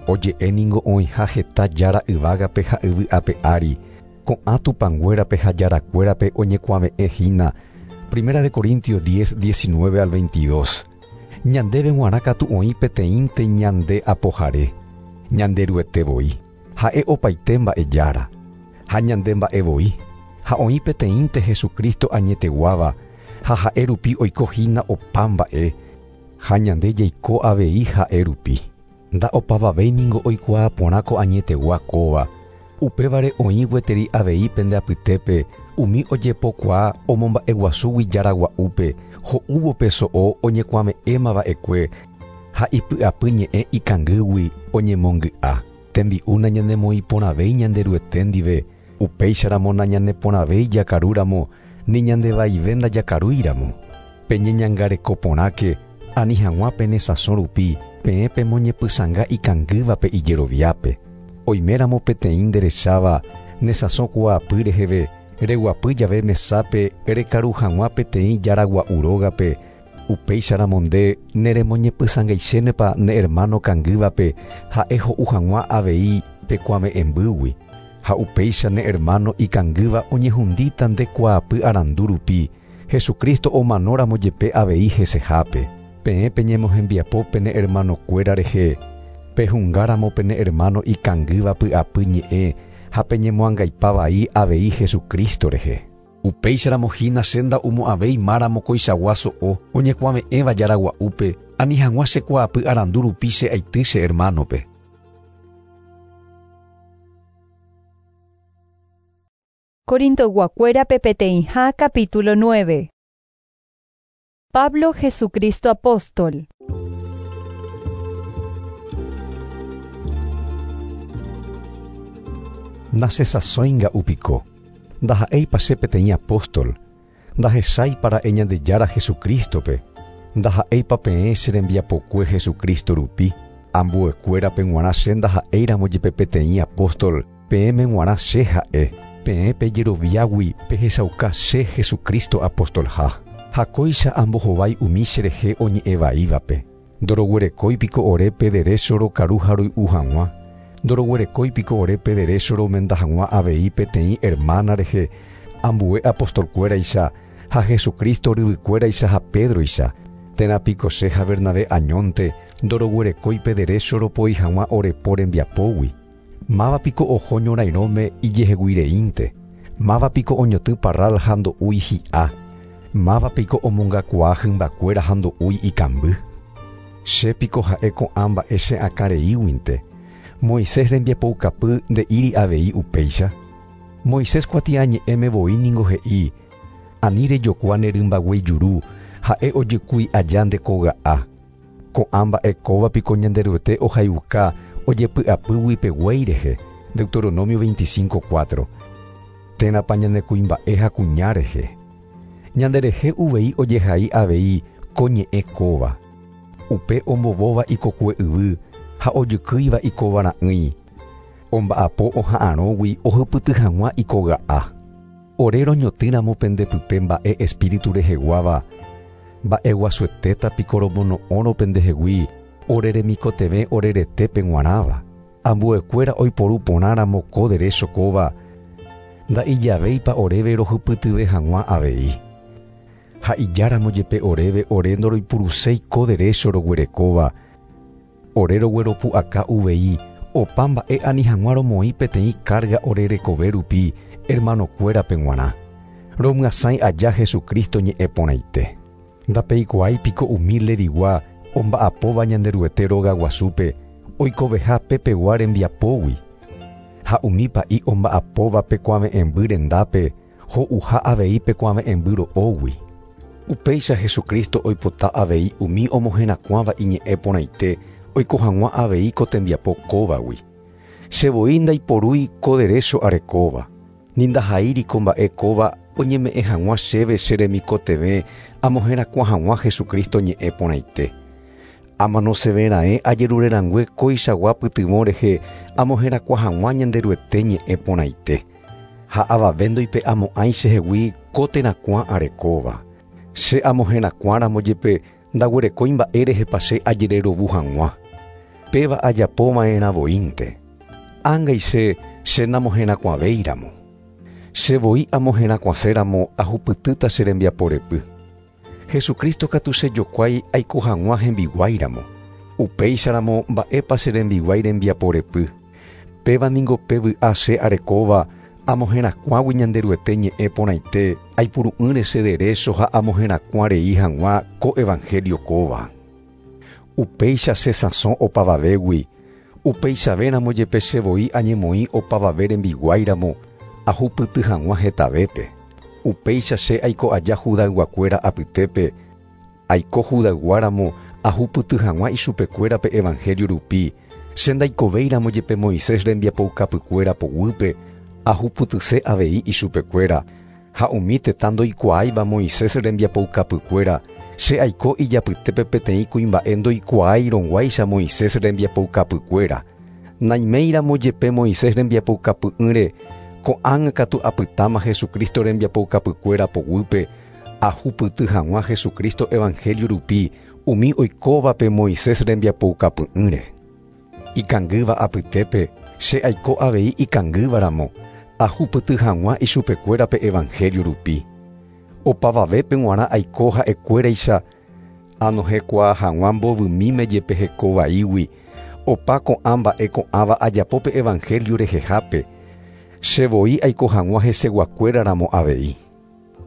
Oje'e ningo oĩha heta jára yvágape ha yvy ape ári, ko'ã tupãnguérape ha jarakuérape oñekuave'ẽ hína. Primera de Corintios diez, diecinueve al veintidós. Ñandéve g̃uarã katu oĩ peteĩnte ñande apohare, Ñanderuete voi, ha'e opaite mba'e jára, ha ñande mba'e voi, ha oĩ peteĩnte Jesucristo añeteguáva, ha ha'e rupi oiko hína opa mba'e, ha ñande jaiko avei ha'e rupi. Nda'opavavéi ningo oikuaa porã ko añetegua kóva. Upévare oĩ gueteri avei pende apytépe umi ojepokuaa omomba'eguasúgui jaragua'úpe, ho'úvo pe so'o oñekuave'ẽmava'ekue ha ipy'apy ñe'ẽ ikangýgui oñemongy'a. Tembi'u nañanemoĩporãvéi Ñanderuete ndive, upéicharamo nañaneporãvéi jakarúramo ni ñandevaive ndajakarúiramo. Peñeñangareko porãke ani hag̃ua pene sãso rupi peẽ pemoñepysãnga ikangývape ijeroviápe. Oiméramo peteĩ nderecháva ne sãso kuaapy reheve, reguapy jave mesápe rekaru hag̃ua peteĩ jaragua'u rógape, upéicharamo nde neremoñepysãngaichénepa ne hermano kangývape ha'e ho'u hag̃ua avei pekuave'ẽmbýgui. Ha upéicha ne hermano ikangýva oñehundíta nde kuaapy arandu rupi, Jesucristo omanóramo jepe avei hesehápe. Peẽ peñemohembiapo pene hermanokuéra rehe, pehungáramo pene hermano ikangýva py'apy ñe'ẽ ha peñemoangaipavai avei Jesucristo rehe. Upéicharamo hína che nda'umo'ãvéi máramo koichagua so'o oñekuave'ẽva jaragua'úpe, ani hag̃ua che kuaapy arandu rupi che aity che hermanope. Corintoguakuérape peteĩha capítulo nueve. Pablo Jesucristo apóstol. Nasesasõinga upiko. Ndaha'éipa che peteĩ apóstol, ndahecháipa ra'e Ñandejára Jesucristope, ndaha'éipa peẽ che rembiapokue Jesucristo rupi, ambuekuérape g̃uarã che ndaha'éiramo jepe peteĩ apóstol, peẽme g̃uarã che ha'e, peẽ pejeroviágui pehechauka che Jesucristo apostolha. Ha kóicha ambohovái umi cherehe oñe'ẽvaívape. Ndoroguerekóipiko ore pe derecho rokaru ha roy'u hag̃ua. Ndoroguerekóipiko ore pe derecho romenda hag̃ua avei peteĩ hermana rehe, ambue apostolkuéraicha ha Jesucristo ryvykuéraicha ha Pedroicha. Térã piko che ha Bernabé añónte ndoroguerekói pe derecho ropoi hag̃ua ore po rembiapógui. Máva piko oho ñorairõme ijeheguireínte. Máva piko oñotỹ parral ha ndo'úi hi'a. Máva piko omongakuaa hymbakuéra ha ndo'úi ikamby. Che piko ha'e ko'ã mba'e che akãreíguinte. Moisés rembiapoukapy nde'íri avei upéicha. Moisés kuatiañe'ẽme voi ningo he'i, ani rejokua ne rymbaguéi juru, ha'e ojykúi aja nde koga'a. Ko'ã mba'e kóva piko Ñanderuete ohayhuka ojepy'apýgui pe guéi rehe. Deuteronomio veinticinco cuatro. Térãpa ñane kuimba'e ha kuña rehe. Ñanderehe uvei ojehai avei ko ñe'ẽ kóva. Upe ombovóva ikokue yvy ha ojykýiva ikovara'ỹi. Omba'apo oha'arõgui ohypyty hag̃ua ikoga'a. Ore roñotỹramo pendepype mba'e espíritu reheguáva, mba'eguasuetéta piko romono'õrõ pendehegui ore remikotevẽ ore retépe g̃uarãva. Ambuekuéra oiporu porãramo ko derecho kóva, nda'ijavéipa oréve rohypytyve hag̃ua avei. Ha ijáramo jepe oréve ore ndoroipuruséi ko derecho roguerekóva, ore rogueropu'aka uvei opa mba'e ani hag̃ua romoĩ peteĩ carga ore rekove rupi hermanokuérape g̃uarã. Romyasãi aja Jesucristo ñe'ẽ porãite. Ndapeikuaái piko umi Levigua omba'apóva Ñanderuete rogaguasúpe oikoveha pepegua rembiapógui. Ha umi pa'i omba'apóva pekuave'ẽmby rendápe ho'uha avei pekuave'ẽmby ro'ógui. Upéicha Jesucristo oipota avei umi omoherakuãva iñe'ẽ porãite oiko hag̃ua avei ko tembiapo kóvagui. Che voi ndaiporúi ko derecho arekóva, ni ndahaíri ko mba'e kóva oñeme'ẽ hag̃ua chéve che remikotevẽ amoherakuã hag̃ua Jesucristo ñe'ẽ porãite. Amanosevera'ẽ ajerurerangue kóichagua pytyvõ rehe amoherakuã hag̃ua Ñanderuete ñe'ẽ porãite. Ha avave ndoipe'amo'ãi chehegui ko terakuã arekóva. Che amoherakuãramo jepe ndaguerekói mba'e rehepa che ajererovu hag̃ua. Péva ajapova'erã voínte. Ángai che che namoherakuãvéiramo. Che voi amoherakuãséramo ahupytýta che rembiaporepy. Jesucristo katu chejokuái aiko hag̃ua hembiguáiramo. Upéicharamo mba'épa che rembiguái rembiaporepy. Péva ningo pe vy'a che arekóva amoherakuãgui Ñanderuete ñe'ẽ porãite aipuru'ỹre che derecho ha amoherakuã rei hag̃ua ko evangelio kóva. Upéicha che sãso opavavégui, upeichavéramo jepe che voi añemoĩ opavave rembiguáiramo ahupyty hag̃ua hetavépe. Upéicha che aiko aja Judayguakuéra apytépe, aiko Judayguáramo ahupyty hag̃ua ichupekuérape evangelio rupi, che ndaikovéiramo jepe Moisés rembiapoukapykuéra poguýpe ahupytyse avei ichupekuéra, ha umi tetã ndoikuaáiva Moisés rembiapoukapykuéra, che aiko ijapytépe peteĩ kuimba'e ndoikuaáirõguáicha Moisés rembiapoukapykuéra. Naiméiramo jepe Moisés rembiapoukapy'ỹre, ko'ág̃a katu apytáma Jesucristo rembiapoukapykuéra poguýpe, ahupyty hag̃ua Jesucristo evangelio rupi umi oikóvape Moisés rembiapoukapy'ỹre. Ikangýva apytépe, che aiko avei ikangývaramo, ahupyty hag̃ua ichupekuérape evangelio rupi. Opavavépe g̃uarã aiko ha'ekuéraicha anohekuaa hag̃ua mbovymíme jepe hekovaígui, opa ko'ã mba'e ko'ãva ajapópe evangelio rehehápe, che voi aiko hag̃ua heseguakuéraramo avei.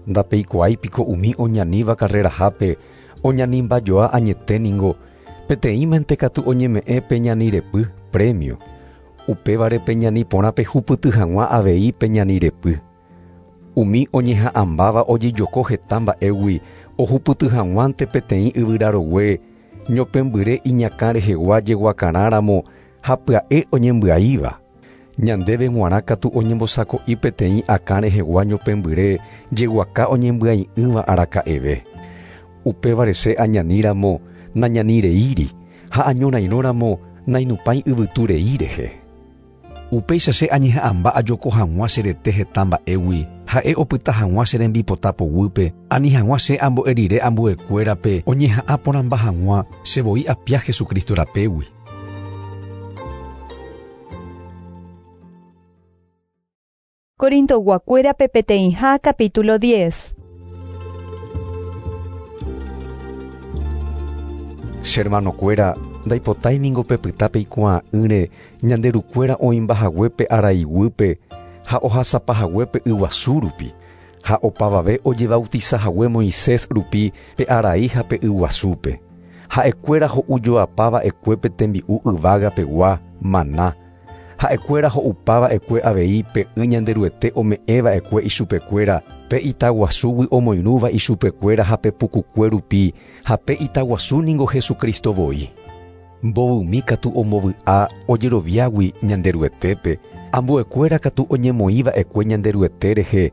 Ndapeikuaái piko umi oñaníva carrerahápe oñanimbajoa añete ningo, peteĩmente katu oñeme'ẽ peñanirepy premio. Upévare peñani porã pehupyty hag̃ua avei peñanirepy. Umi oñeha'ãmbáva ojejoko heta mba'égui ohupyty hag̃uánte peteĩ yvyrarogue ñopembyre iñakã rehegua jeguakarãramo ha pya'e oñembyaíva. Ñandéve g̃uarã katu oñembosako'i peteĩ akã rehegua ñopembyre jeguaka oñembyai'ỹva araka'eve. Upévare che añaníramo nañanireíri ha añorairõramo nainupãi yvytu rei rehe. Upéicha che añeha'ãmba ajoko hag̃ua che rete heta mba'égui, ha'e opyta hag̃ua che rembipota poguýpe, ani hag̃ua che ambo'e rire ambuekuérape oñeha'ã porãmba hag̃ua che voi apia Jesucristo rapégui. Corintoguakuérape peteĩha capítulo diez. Che hermanokuéra, ndaipotái ningo pepyta peikuaa'ỹre Ñanderukuéra oĩmbahaguépe araiguýpe ha ohasapahaguépe yguasu rupi, ha opavave ojebautizahague Moisés rupi pe arai ha pe yguasúpe. Ha'ekuéra ho'ujoapava'ekuépe tembi'u yvágapegua maná. Ha'ekuéra ho'upava'ekue avei pe y Ñanderuete ome'ẽva'ekue ichupekuéra, Pe itaguasúgui omoirũva ichupekuéra ha pe pukukue rupi ha pe itaguasu ningo Jesucristo voi. Mbovymi katu ombovy'a ojeroviágui Ñanderuetépe, ambuekuéra katu oñemoĩva'ekue Ñanderuete rehe,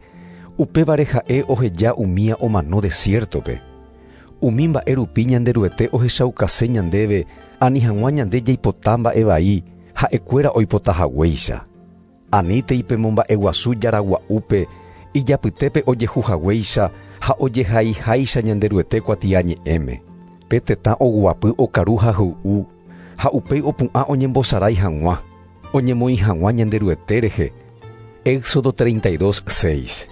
upévare ha'e oheja umía omano desiertope. Umi mba'e rupi Ñanderuete ohechaukase ñandéve ani hag̃ua ñande jaipota mba'e vai ha'ekuéra oipotahaguéicha. Anítei pemomba'eguasu jaragua'úpe ijapytépe ojehuhaguéicha ha ojehaiháicha Ñanderuete kuatiañe'ẽme. Pe tetã oguapy okaru ha hoy'u ha upéi opu'ã oñembosarái hag̃ua, oñemoĩ hag̃ua Ñanderuete rehe. Éxodo treinta y dos, seis.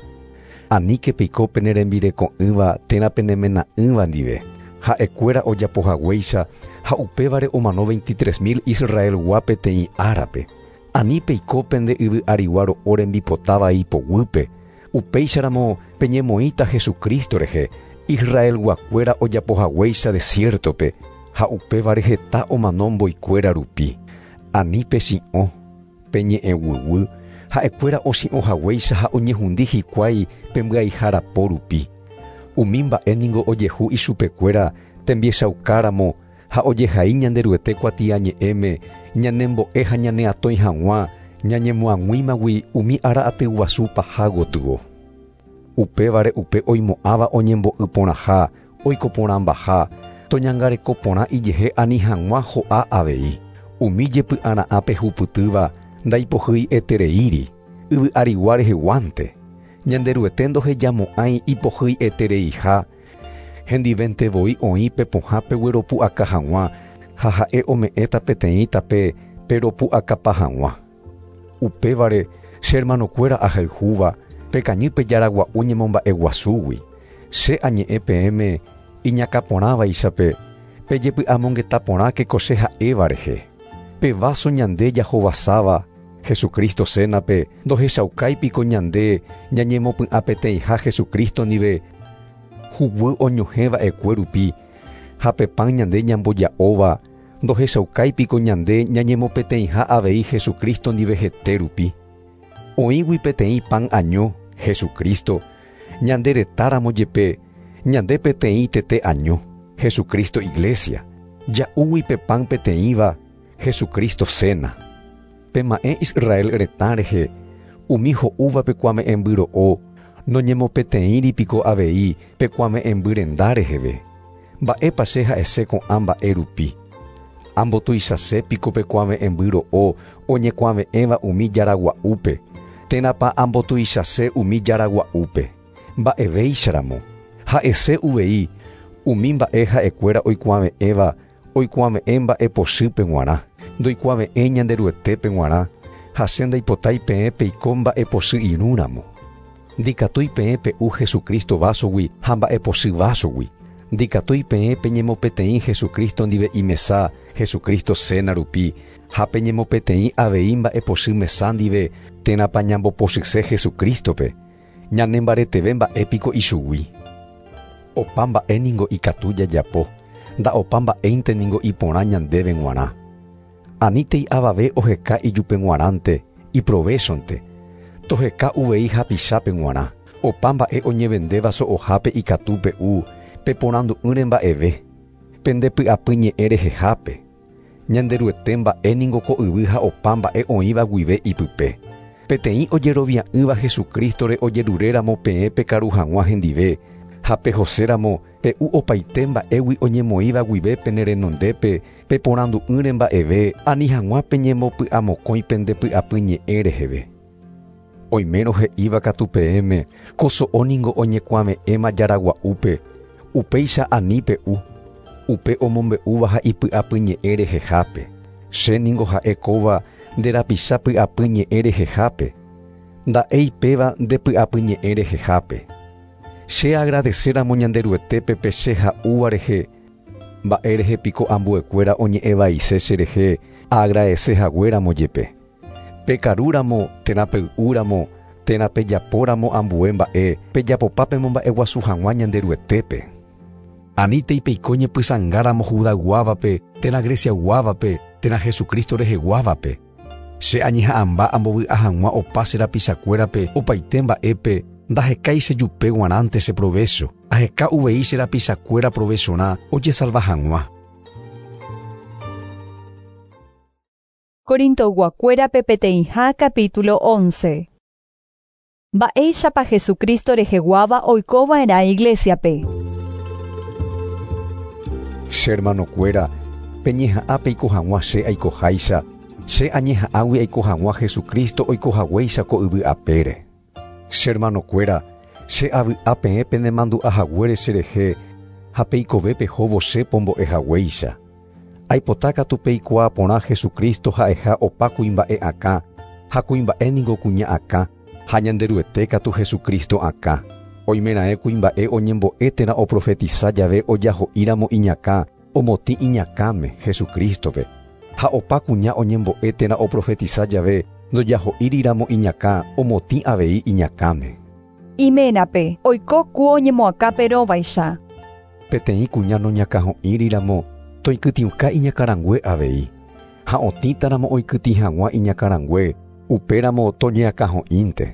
Aníke peiko pene rembireko'ỹva térã penemena'ỹva ndive. Ha'ekuéra ojapohaguéicha ha upévare omano veintitrés mil Israelgua peteĩ árape. Ani peiko pende yvy arigua ro'o rembipotáva ipoguýpe. Upéicharamo peñemoĩta Jesucristo rehe, Israelguakuéra ojapohaguéicha desiertope ha upévare heta omano mboikuéra rupi. Ani pechi'õ, peñe'ẽguyguy, ha'ekuéra ochi'õhaguéicha ha oñehundi hikuái pembyaihárapo rupi. Umi mba'e ningo ojehu ichupekuéra tembiechaukaramo ha ojehai Ñanderuete kuatiañe'ẽme ñanembo'e ha ñaneatõi hag̃ua ñañemoag̃uímagui umi ára atyguasu paha gotyo. Upévare upe oimo'ãva oñembo'y porãha, oiko porãmbaha, toñangareko porã ijehe ani hag̃ua ho'a avei. Umi jepy'ara'ã pehupytýva ndaipohýietereíri, yvy arigua reheguánte. Ñanderuete ndohejamo'ãi ipohýietereiha, hendivente voi oĩ pepohã pegueropu'aka hag̃ua ha ha'e ome'ẽta peteĩ tape peropu'akapa hag̃ua. Upévare che hermanokuéra ahayhúva pekañy pe jaragua'u ñemomba'eguasúgui. Che añe'ẽ peẽme iñakãporãvaichape pejepy'amongeta porãke ko che ha'éva rehe. Pe vaso ñande jahovasáva Jesucristo cénape ndohechaukáipiko ñande ñañemopy'ã peteĩha Jesucristo ndive huguy oñohẽva'ekue rupi ha pe pan ñande ñamboja'óva ndohechaukáipiko ñande ñañemopeteĩha avei Jesucristo ndive hete rupi. Oĩgui peteĩ pan año Jesucristo, ñande retáramo jepe ñande peteĩ tete año Jesucristo iglesia, ja'úgui pe pan peteĩva Jesucristo cena. Pema'ẽ Israel retã rehe, umi ho'úva pekuame'ẽmbyro'o, noñemopeteĩripiko avei pekuame'ẽmbyrenda reheve. Mba'épa che ha'ese ko'ã mba'e rupi. Ambotuichase piko pekuave'ẽmbyro'o oñekuave'ẽva umi jaragua'úpe, térãpa ambotuichase umi jaragua'úpe. Mba'evéicharamo, ha'ese uvei umi mba'e ha'ekuéra oikuave'ẽva oikuave'ẽ mba'epochýpe g̃uarã, ndoikuave'ẽ Ñanderuetépe g̃uarã, ha che ndaipotái peẽ peiko mba'epochy irũramo. Ndikatúi peẽ pe'u Jesucristo vásogui ha mba'epochy vásogui. Ndikatúi peẽ peñemopeteĩ Jesucristo ndive imesa Jesucristo cena rupi ha peñemopeteĩ avei mba'epochy mesa ndive térãpa ñambopochyse Jesucristope. Ñanembareteve mba'épiko ichugui. Opa mba'e ningo ikatu jajapo, nda'opa mba'énte ningo iporã ñandéve g̃uarã. Anítei avave oheka ijupe g̃uarãnte, iprovechonte. Toheka uvei hapichápe g̃uarã. Opa mba'e oñevendéva so'ohápe ikatu pe'u, peporandu'ỹre mba'eve. Pendepy'apy ñe'ẽ rehehápe. Ñanderuete mba'e ningo ko yvy ha opa mba'e oĩva guive ipype. Peteĩ ojerovia'ỹva Jesucristore ojeruréramo peẽ pekaru hag̃ua hendive, ha pehoséramo pe'u opaite mba'égui oñemoĩva guive pene renondépe peporandu'ỹre mba'eve ani hag̃ua peñembopy'amokõi pendepy'apy ñe'ẽ reheve. Oimérõ he'íva katu peẽme ko so'o ningo oñekuave'ẽma jaragua'úpe, upéicha ani pe'u, upe omombe'úva ha ipy'apy ñe'ẽ rehehápe. Che ningo ha'e kóva nde rapicha py'apy ñe'ẽ rehehápe, nda'éi péva nde py'apy ñe'ẽ rehehápe. Che agradecéramo Ñanderuetépe pe che ha'úva rehe, mba'e rehe piko ambuekuéra oñe'ẽvaise cherehe aagradesehaguéramo jepe. Pekarúramo térã pey'úramo térã pejapóramo ambue mba'e pejapopa pemomba'eguasu hag̃ua Ñanderuetépe. Anítei peiko ñepysãngáramo Judayguávape térã Greciayguávape térã Jesucristo reheguávape. Che añeha'ãmba ambovy'a hag̃ua opa che rapichakuérape opaite mba'épe Ndahekái chejupe g̃uarãnte che provecho, aheka uvei che rapichakuéra provechorã ojesalva hag̃ua. Corintoyguakuérape peteĩha capítulo once. Mba'éichapa Jesucristo reheguáva oikova'erã iglesiape. Che hermanokuéra, peñeha'ã peiko hag̃ua che aikoháicha, che añeha'ãgui aiko hag̃ua Jesucristo oikohaguéicha ko yvy apére. Che hermanokuéra, che avy'a peẽ penemandu'ahaguére cherehe ha peikove pehóvo che pombo'ehaguéicha. Aipota katu peikuaa porã Jesucristo ha'eha opa kuimba'e akã, ha kuimba'e ningo kuña akã, ha Ñanderuete katu Jesucristo akã. Oimeraẽ kuimba'e oñembo'e térã oprofetisa jave ojaho'íramo iñakã, omotĩ iñakãme Jesucristope. Ha opa kuña oñembo'e térã oprofetisa jave ndojaho'íriramo iñakã, omotĩ avei iñakãme. Iménape oiko ku oñemoakãperõvaicha. Peteĩ kuña noñakãho'íriramo toikytĩuka iñakãrangue avei. Ha otĩtaramo oikytĩ hag̃ua iñakãrangue, upéramo toñeakãho'ínte.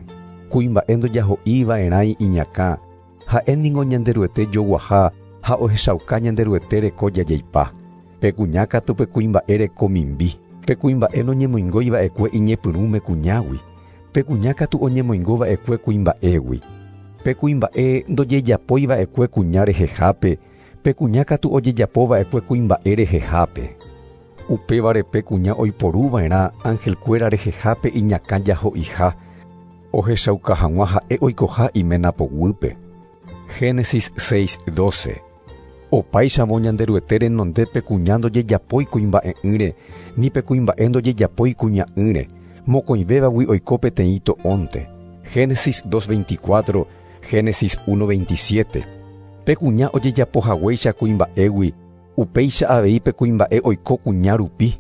Kuimba'e ndojaho'iva'erãi iñakã, ha'e ningo Ñanderuete joguaha ha ohechauka Ñanderuete reko jajeipa. Pe kuña katu pe kuimba'e reko mimbi. Pe kuimba'e noñemoingoiva'ekue iñepyrũme kuñágui. Pe kuña katu oñemoingova'ekue kuimba'égui. Pe kuimba'e ndojejapoiva'ekue kuña rehehápe, pe kuña katu ojejapova'ekue kuimba'e rehehápe. Upévare pe kuña oiporuva'erã angelkuéra rehehápe iñakã jaho'iha, ohechauka hag̃ua ha'e oikoha iména poguýpe. Génesis seis doce. Opáichamo Ñanderuete renondépe kuña ndojejapói kuimba'e'ỹre, ni pe kuimba'e ndojejapói kuña'ỹre, mokõivévagui oiko peteĩ to'ónte. Génesis dos veinticuatro, Génesis uno veintisiete. Pe kuña ojejapohaguéicha kuimba'égui, upéicha avei pe kuimba'e oiko kuña rupi.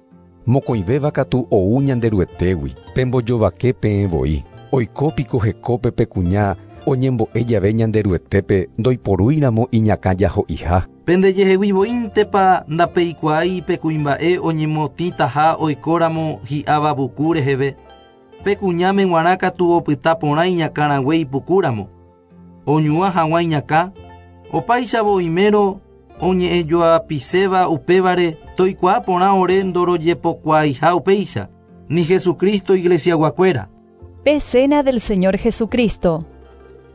Mokõivéva katu ou Ñanderuetégui, pembojovake peẽ voi. Oiko piko hekópe pe kuña oñembo'e jave Ñanderuetépe ndoiporúiramo iñakã jaho'iha. Pendejehegui voíntepa ndapeikuaái pe kuimba'e oñemotĩtaha oikóramo hi'áva vuku reheve. Pe kuñáme g̃uarã katu opyta porã iñakãrangue ipukúramo. Oñuã hag̃ua iñakã, opáichavo oimérõ oñe'ẽjoapiséva upévare toikuaa porã ore ndorojepokuaaiha upéicha, ni Jesucristo iglesiaguakuéra. Pe cena del Señor Jesucristo.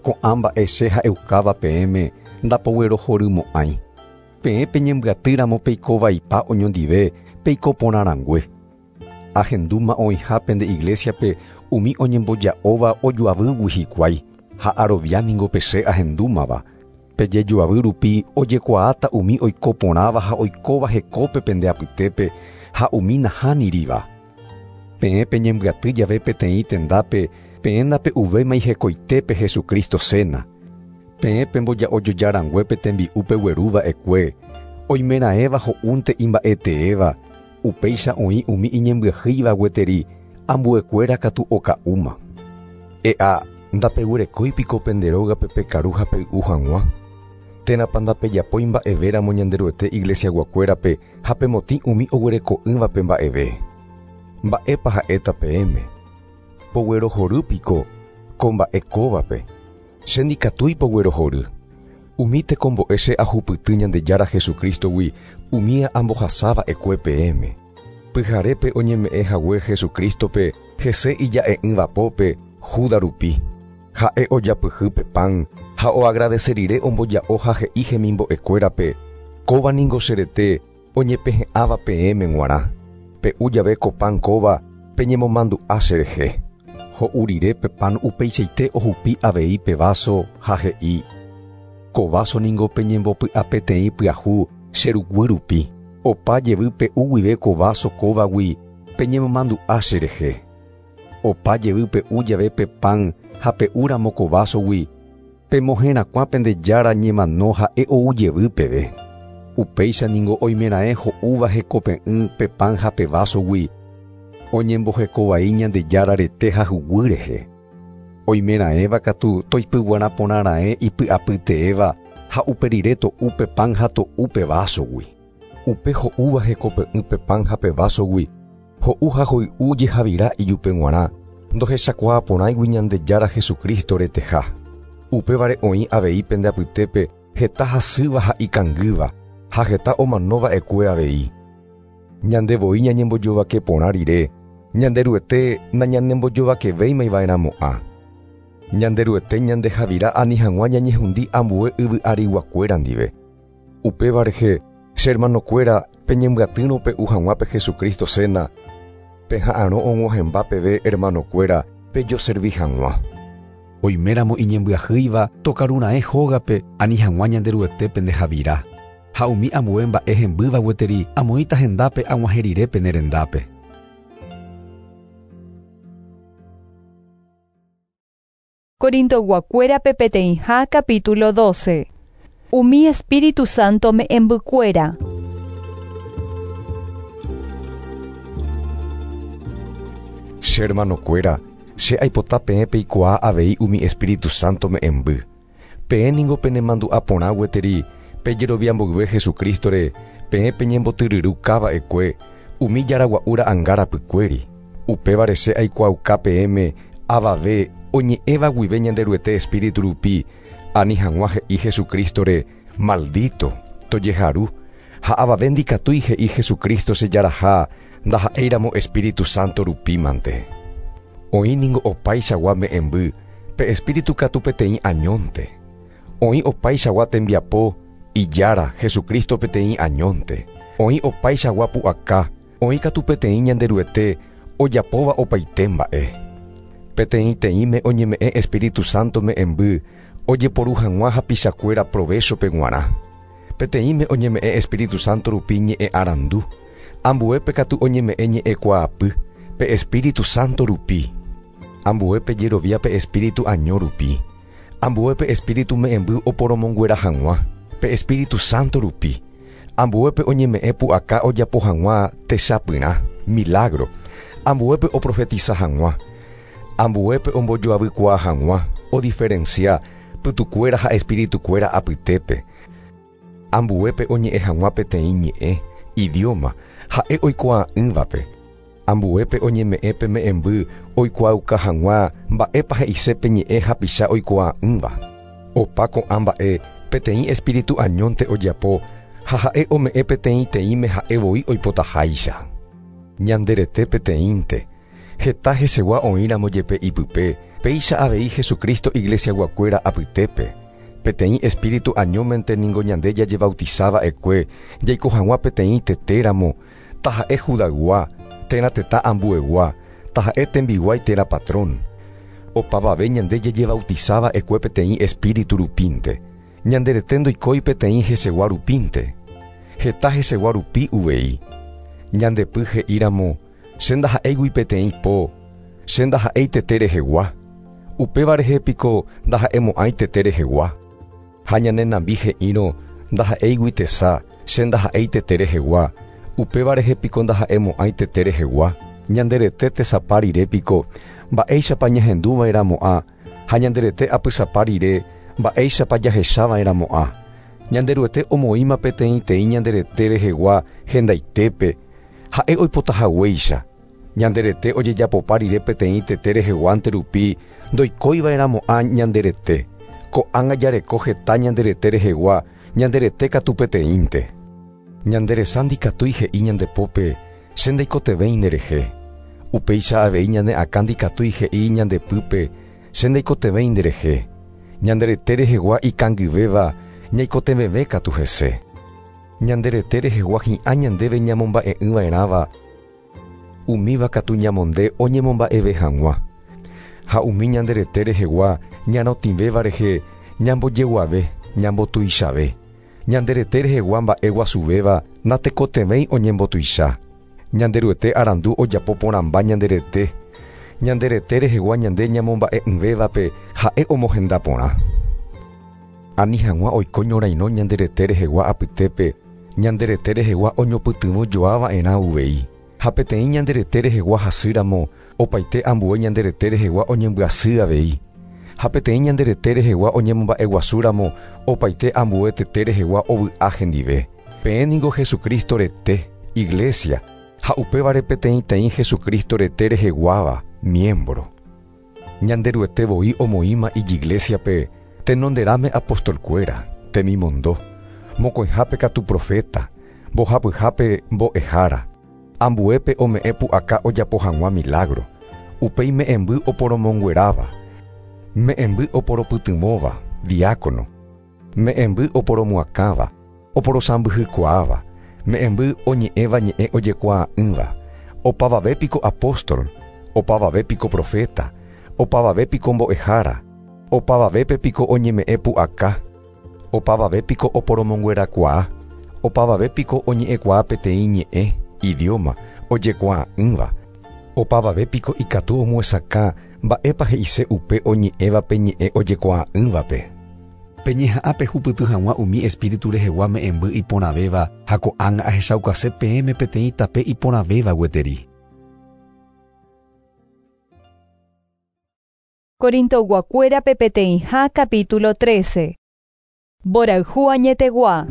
Ko'ã mba'e che ha'eukáva peẽme ndapoguerohorymo'ãi. Peẽ peñembyatýramo peikovaipa oñondive peiko porãrangue. Ahendúma oĩha pende iglesiape umi oñemboja'óva ojoavýgui hikuái, ha arovia ningo pe che ahendúmava. Pejejoavy rupi ojekuaáta umi oiko porãva ha oikóva hekópe pende apytépe ha umi nahániriva. Peẽ peñembyaty jave peteĩ tendápe, peẽ ndape'uvéima hekoitépe Jesucristo cena. Peẽ pemboja'ojojaranguépe tembi'u pegueruva'ekue, oimeraẽva ho'únte imba'eteéva, upéicha oĩ umi iñembyahýiva gueteri, ambuekuéra katu oka'úma. E'a, ndapeguerekói piko pende rógape pekaru ha pey'u hag̃ua. Térãpa ndapejapói mba'evéramo Ñanderuete iglesiaguakuérape ha pemotĩ umi oguereko'ỹvape mba'eve. Mba'épa ha'éta peẽme. Poguerohory piko ko mba'e kóvape. Che ndikatúi poguerohory. Umi tekombo'e che ahupyty Ñandejára Jesucristogui umía ambohasáva'ekue peẽme. Pyharépe oñeme'ẽ hague Jesucristope hese ija'e'ỹvapópe Judas rupi. Ha'e ojapyhy pe pan ha oagradece rire omboja'o ha he'i hemimbo'ekuérape, kóva ningo che rete oñepehe'ãva peẽme g̃uarã. Pe'u jave ko pan kóva peñemomandu'a cherehe. Ho'u rire pe pan upeichaite ohupi avei pe vaso ha he'i, ko vaso ningo peñembopy'a peteĩ pyahu che ruguy rupi. Opa jevy pe'u guive ko vaso kóvagui peñemomandu'a cherehe. Opa jevy pe'u jave pe pan ha pe'úramo ko vasogui, pemoherakuã pende Jára ñemano ha'e ou jevy peve. Upéicha ningo oimeraẽ ho'úva hekope'ỹ pe pan ha pe vasogui, oñembohekovai Ñandejára rete ha huguy rehe. Oimeraẽva katu toipyguara porãraẽ ipy'apyteéva ha uperire to'u pe pan ha to'u pe vasogui. Upe ho'úva hekope'ỹ pe pan ha pe vasogui, ho'u ha hoy'u jehavira ijupe g̃uarã, ndohechakuaa porãigui Ñandejára Jesucristo reteha. Upévare oĩ avei pende apytépe heta hasýva ha ikangýva ha heta omanova'ekue avei. Ñande voi ñañembojovake porã rire, Ñanderuete nañanembojovakevéimava'erãmo'ã. Ñanderuete ñandehavira ani hag̃ua ñañehundi ambue yvy ariguakuéra ndive. Upéva rehe, che hermanokuéra peñembyatýrõ pe'u hag̃ua pe Jesucristo cena, peha'arõ og̃uahẽmba peve hermanokuéra pejoservi hag̃ua. Oiméramo iñembyahýiva tokarura'ẽ hógape ani hag̃ua Ñanderuete pendehavira. Ha umi ambue mba'e hembýva gueteri amoĩta hendápe ag̃uahẽ rire pene rendápe. Corintoguakuérape peteĩha capítulo doce. Umi Espíritu Santo me'ẽmbykuéra. Che hermanokuéra, che aipota peẽ peikuaa avei umi Espíritu Santo me'ẽmby. Peẽ ningo penemandu'a porã gueteri pejerovia mboyve Jesucristore, peẽ peñembotyryru va'ekue umi jaragua'u ra'ãnga rapykuéri. Upévare che aikuaauka peẽme avave oñe'ẽva guive Ñanderuete Espíritu rupi ani hag̃ua he'i Jesucristore maldito tojeharu ha avave ndikatúi he'i Jesucristo chejaraha ndaha'éiramo Espíritu Santo rupi mante. Oĩ ningo opaichagua me'ẽmby pe Espíritu katu peteĩ añónte. Oĩ opaichagua tembiapo ijára Jesucristo peteĩ añónte. Oĩ opaichagua pu'aka, oĩ katu peteĩ Ñanderuete ojapóva opaite mba'e. Peteĩteĩme oñeme'ẽ Espíritu Santo me'ẽmby ojeporu hag̃ua hapichakuéra provechope g̃uarã. Peteĩme oñeme'ẽ Espíritu Santo rupi ñe'ẽ arandu, ambuépe katu oñeme'ẽ ñe'ẽkuaapy pe Espíritu Santo rupi. Ambuépe jerovia pe Espíritu año rupi. Ambuépe Espíritu me'ẽmby oporomonguera hag̃ua pe Espíritu Santo rupi. Ambuépe oñeme'ẽ pu'aka ojapo hag̃ua techapyrã, milagro. Ambuépe oprofetiza hag̃ua. Ambuépe ombojoavykuaa hag̃ua, odiferencia pytukuéra ha espiritukuéra apytépe. Ambuépe oñe'ẽ hag̃ua peteĩ ñe'ẽ, idioma, ha'e oikuaa'ỹvape. Ambuépe oñeme'ẽ pe me'ẽmby oikuaauka hag̃ua mba'épa he'ise pe ñe'ẽ hapicha oikuaa'ỹva. Opa ko'ã mba'e peteĩ espíritu añónte ojapo ha ha'e ome'ẽ peteĩteĩme ha'e voi oipotaháicha. Ñanderete peteĩnte, heta hesegua oĩramo jepe ipype, péicha avei Jesucristo iglesiaguakuéra apytépe. Peteĩ espíritu añómente ningo ñande jajebautizava'ekue jaiko hag̃ua peteĩ tetéramo, taha'e Judaygua, térã tetã ambuegua, taha'e tembiguái térã patrón. Opavave ñande jajebautizava'ekue peteĩ espíritu rupínte. Ñanderete ndoikói peteĩ hesegua rupínte. Heta hesegua rupi uvei. Ñandepy he'íramo, che ndaha'éigui peteĩ po, che ndaha'éi tete rehegua. Upéva rehe piko ndaha'emo'ãi tete rehegua. Ha ñane nambi he'írõ ndaha'éigui tesa, che ndaha'éi tete rehegua. Upéva rehe piko ndaha'emo'ãi tete rehegua. Ñanderete tesapa rire piko mba'éichapa ñahenduva'erãmo'ã ha ñanderete apysapa rire mba'éichapa jahechava'erãmo'ã. Ñanderuete omoĩma peteĩteĩ ñanderete rehegua hendaitépe, ha'e oipotahaguéicha. Ñanderete ojejapopa rire peteĩ tete reheguánte rupi ndoikóiva'erãmo'ã ñanderete. Ko'ág̃a jareko heta ñanderete rehegua, ñanderete katu peteĩnte. Ñanderesa ndikatúi he'i ñandepópe, che ndaikotevẽi nderehe. Upéicha avei ñane akã ndikatúi he'i ñandepýpe, che ndaikotevẽi nderehe. Ñanderete rehegua ikangyvéva ñaikotevẽve katu hese. Ñanderete rehegua hi'ã ñandéve ñamomba'e'ỹva'erãva, umíva katu ñamonde oñemomba'eve hag̃ua. Ha umi ñanderete rehegua ñarotĩvéva rehe ñambojeguave, ñambotuichave. Ñanderete rehegua mba'e guasuvéva natekotevẽi oñembotuicha. Ñanderuete arandu ojapo porãmba ñanderete. Ñanderete rehegua ñande ñamomba'e'ỹvévape ha'e omohenda porã. Ani hag̃ua oiko ñorairõ ñanderete rehegua apytépe, ñanderete rehegua oñopytyvõ joava'erã uvei. Ha peteĩ ñanderete rehegua hasýramo, opaite ambue ñanderete rehegua oñembyasy avei. Ha peteĩ ñanderete rehegua oñemomba'eguasúramo, opaite ambue tete rehegua ovy'a hendive. Peẽ ningo Jesucristo rete, iglesia, ha upévare peteĩteĩ Jesucristo rete reheguáva, miembro. Ñanderuete voi omoĩma ijiglesiape, Tenonderãme apostolkuéra, temimondo, mokõihápe katu profeta, mbohapyhápe mbo'ehára, ambuépe ome'ẽ pu'aka ojapo hag̃ua milagro, upéi me'ẽmby oporomongueráva, me'ẽmby oporopytyvõva, diácono, me'ẽmby oporomoakãva, oporosãmbyhykuaáva, me'ẽmby oñe'ẽva ñe'ẽ ojekuaa'ỹva, opavavépiko apóstol, opavavépiko profeta, opavavépiko mbo'ehára, opavavépepiko oñeme'ẽ pu'aka, opavavépiko oporomonguerakuaa, opavavépiko oñe'ẽkuaa peteĩ ñe'ẽ, idioma, ojekuaa'ỹva, opavavépiko ikatu omyesakã mba'épa he'ise upe oñe'ẽvape ñe'ẽ ojekuaa'ỹvape. Peñeha'ã pehupyty hag̃ua umi espíritu rehegua me'ẽmby iporãvéva ha ko'ág̃a ahechaukase peẽme peteĩ tape iporãvéva gueteri. Corintoguakuérape peteĩha capítulo trece. Mborayhu añetegua.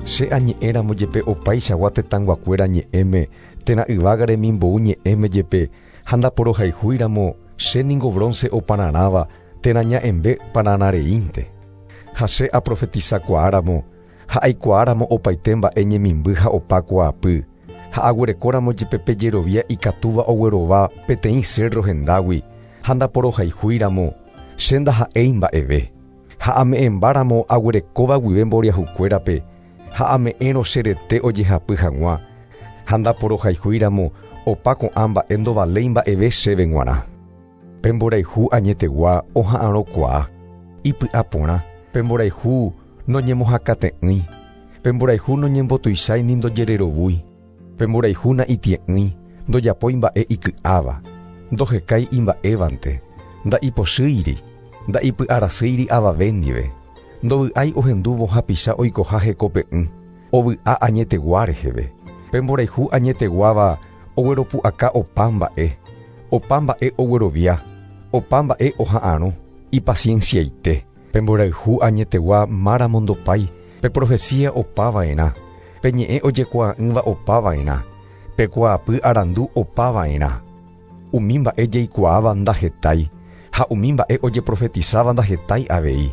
Che añe'ẽramo jepe opaichagua tetãnguakuéra ñe'ẽme térã yvága remimbou ñe'ẽme jepe ha ndaporohayhúiramo che ningo bronce opararãva térã ña'ẽmbe pararãreínte. Ha che aprofetizakuaáramo ha aikuaáramo opaite mba'e ñemimby ha opa kuaapy ha aguerekóramo jepe pejerovia ikatúva oguerova peteĩ cerro hendágui ha ndaporohayhúiramo che ndaha'éi mba'eve. Ha ame'ẽmbáramo aguerekóva guive mboriahukuérape ha ame'ẽrõ che rete ojehapy hag̃ua ha ndaporohayhúiramo opa ko'ã mba'e ndovaléi mba'eve chéve g̃uarã. Pe mborayhu añetegua oha'arõkuaa, ipy'aporã, pe mborayhu noñemohakate'ỹi, pe mborayhu noñembotuichái ni ndojererovúi, pe mborayhu na'itie'ỹi, ndojapói mba'e iky'áva, ndohekái imba'évante, nda'ipochýiri, nda'ipy'arasýiri avave ndive, ndovy'ái ohendúvo hapicha oikoha hekope'ỹ, ovy'a añetegua reheve. Pe mborayhu añeteguáva ogueropu'aka opa mba'e, opa mba'e oguerovia, opa mba'e oha'arõ, ipacienciaite. Pe mborayhu añetegua máramo ndopái, pe profecía opava'erã, pe ñe'ẽ ojekuaa'ỹva opava'erã, pe kuaapy arandu opava'erã. Umi mba'e jaikuaáva ndahetái, ha umi mba'e ojeprofetizáva ndahetái avei.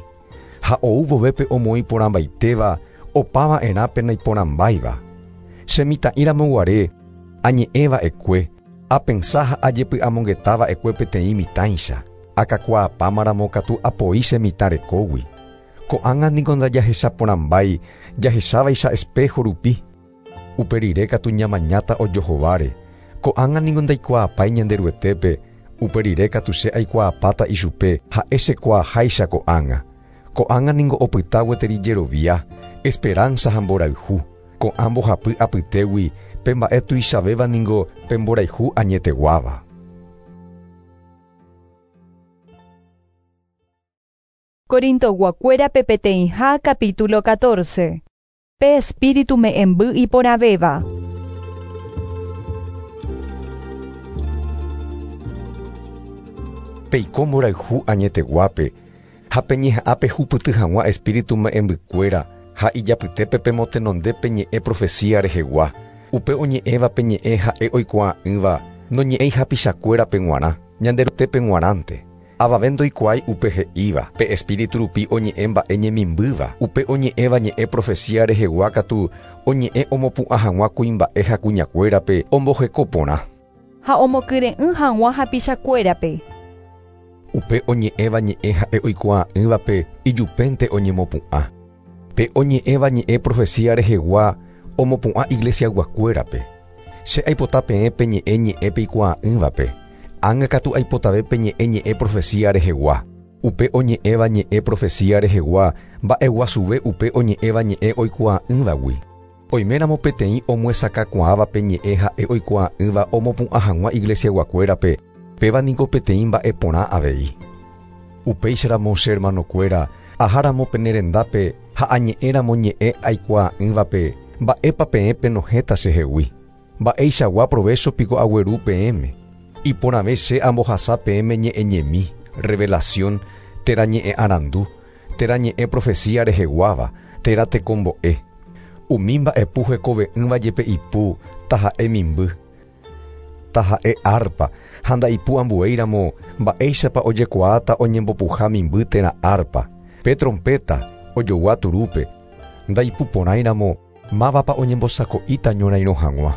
Ha ou vovépe omoĩ porãmbaitéva opava'erã pe naiporãmbáiva. Che mitã'íramo guare añe'ẽva'ekue, apensa ha ajepy'amongetava'ekue peteĩ mitãicha, akakuaapámaramo katu apoi che mitã rekógui. Ko'ág̃a niko ndajahechaporãmbái jahechávaicha espejo rupi. Upe rire katu ñamañáta ojohováre. Ko'ág̃a niko ndaikuaapái Ñanderuetépe, upe rire katu che aikuaapáta ichupe ha'e chekuaaháicha ko'ág̃a. Ko'ág̃a niko opyta gueteri jerovia, esperanza ha mborayhu. Ko'ã mbohapy apytégui pe mba'e tuichavéva ningo pe mborayhu añeteguáva. Corintoguakuérape peteĩha capítulo catorce. Pe espíritu me'ẽmby iporãvéva. Peiko mborayhu añeteguápe ha peñeha'ã pehupyty hag̃ua espíritu me'ẽmbykuéra ha ijapytépe pemotenonde peñe'ẽ profecía rehegua. Upe oñe'ẽva peñe'ẽ ha'e oikuaa'ỹva noñe'ẽi hapichakuérape g̃uarã, Ñanderuetépe g̃uarãnte. Avave ndoikuaái upe he'íva, pe espíritu rupi oñe'ẽ mba'e ñemimbýva, upe oñe'ẽva ñe'ẽ profecía rehegua katu oñe'ẽ omopu'ã hag̃ua kuimba'e ha kuñakuérape omboheko porã. Ha omokyre'ỹ hag̃ua hapichakuérape. Upe oñe'ẽva ñe'ẽ ha'e oikuaa'ỹvape ijupénte oñemopu'ã. Pe oñe'ẽva ñe'ẽ profecía rehegua omopu'ã iglesiaguakuérape. Che aipota peẽ peñe'ẽ ñe'ẽ peikuaa'ỹvape. Ág̃a katu aipotave peñe'ẽ ñe'ẽ profecía rehegua. Upe oñe'ẽva ñe'ẽ profecía rehegua mba'eguasuve upe oñe'ẽva ñe'ẽ oikuaa'ỹvagui. Oiméramo peteĩ omyesakãkuaáva pe ñe'ẽ ha'e oikuaa'ỹva omopu'ã hag̃ua iglesiaguakuérape, péva niko peteĩ mba'e porã avei. Upéicharamo che hermanokuéra, aháramo pene rendápe ha añe'ẽramo ñe'ẽ aikuaa'ỹvape, mba'épa peẽ penohẽta chehegui. Mba'eichagua provecho piko agueru peẽme. Iporãve che ambohasa peẽme ñe'ẽ ñemi, revelación, térã ñe'ẽ arandu, térã ñe'ẽ profecía reheguáva, térã tekombo'e. Umi mba'epu hekove'ỹva jepe ipu taha'e mimby. Taha'e arpa, ha ndaipu ambuéiramo mba'éichapa ojekuaáta oñembopuha mimby térã arpa. Pe trompeta ojogua turúpe, ndaipuporãiramo mávapa oñembosako'íta ñorairõ hag̃ua.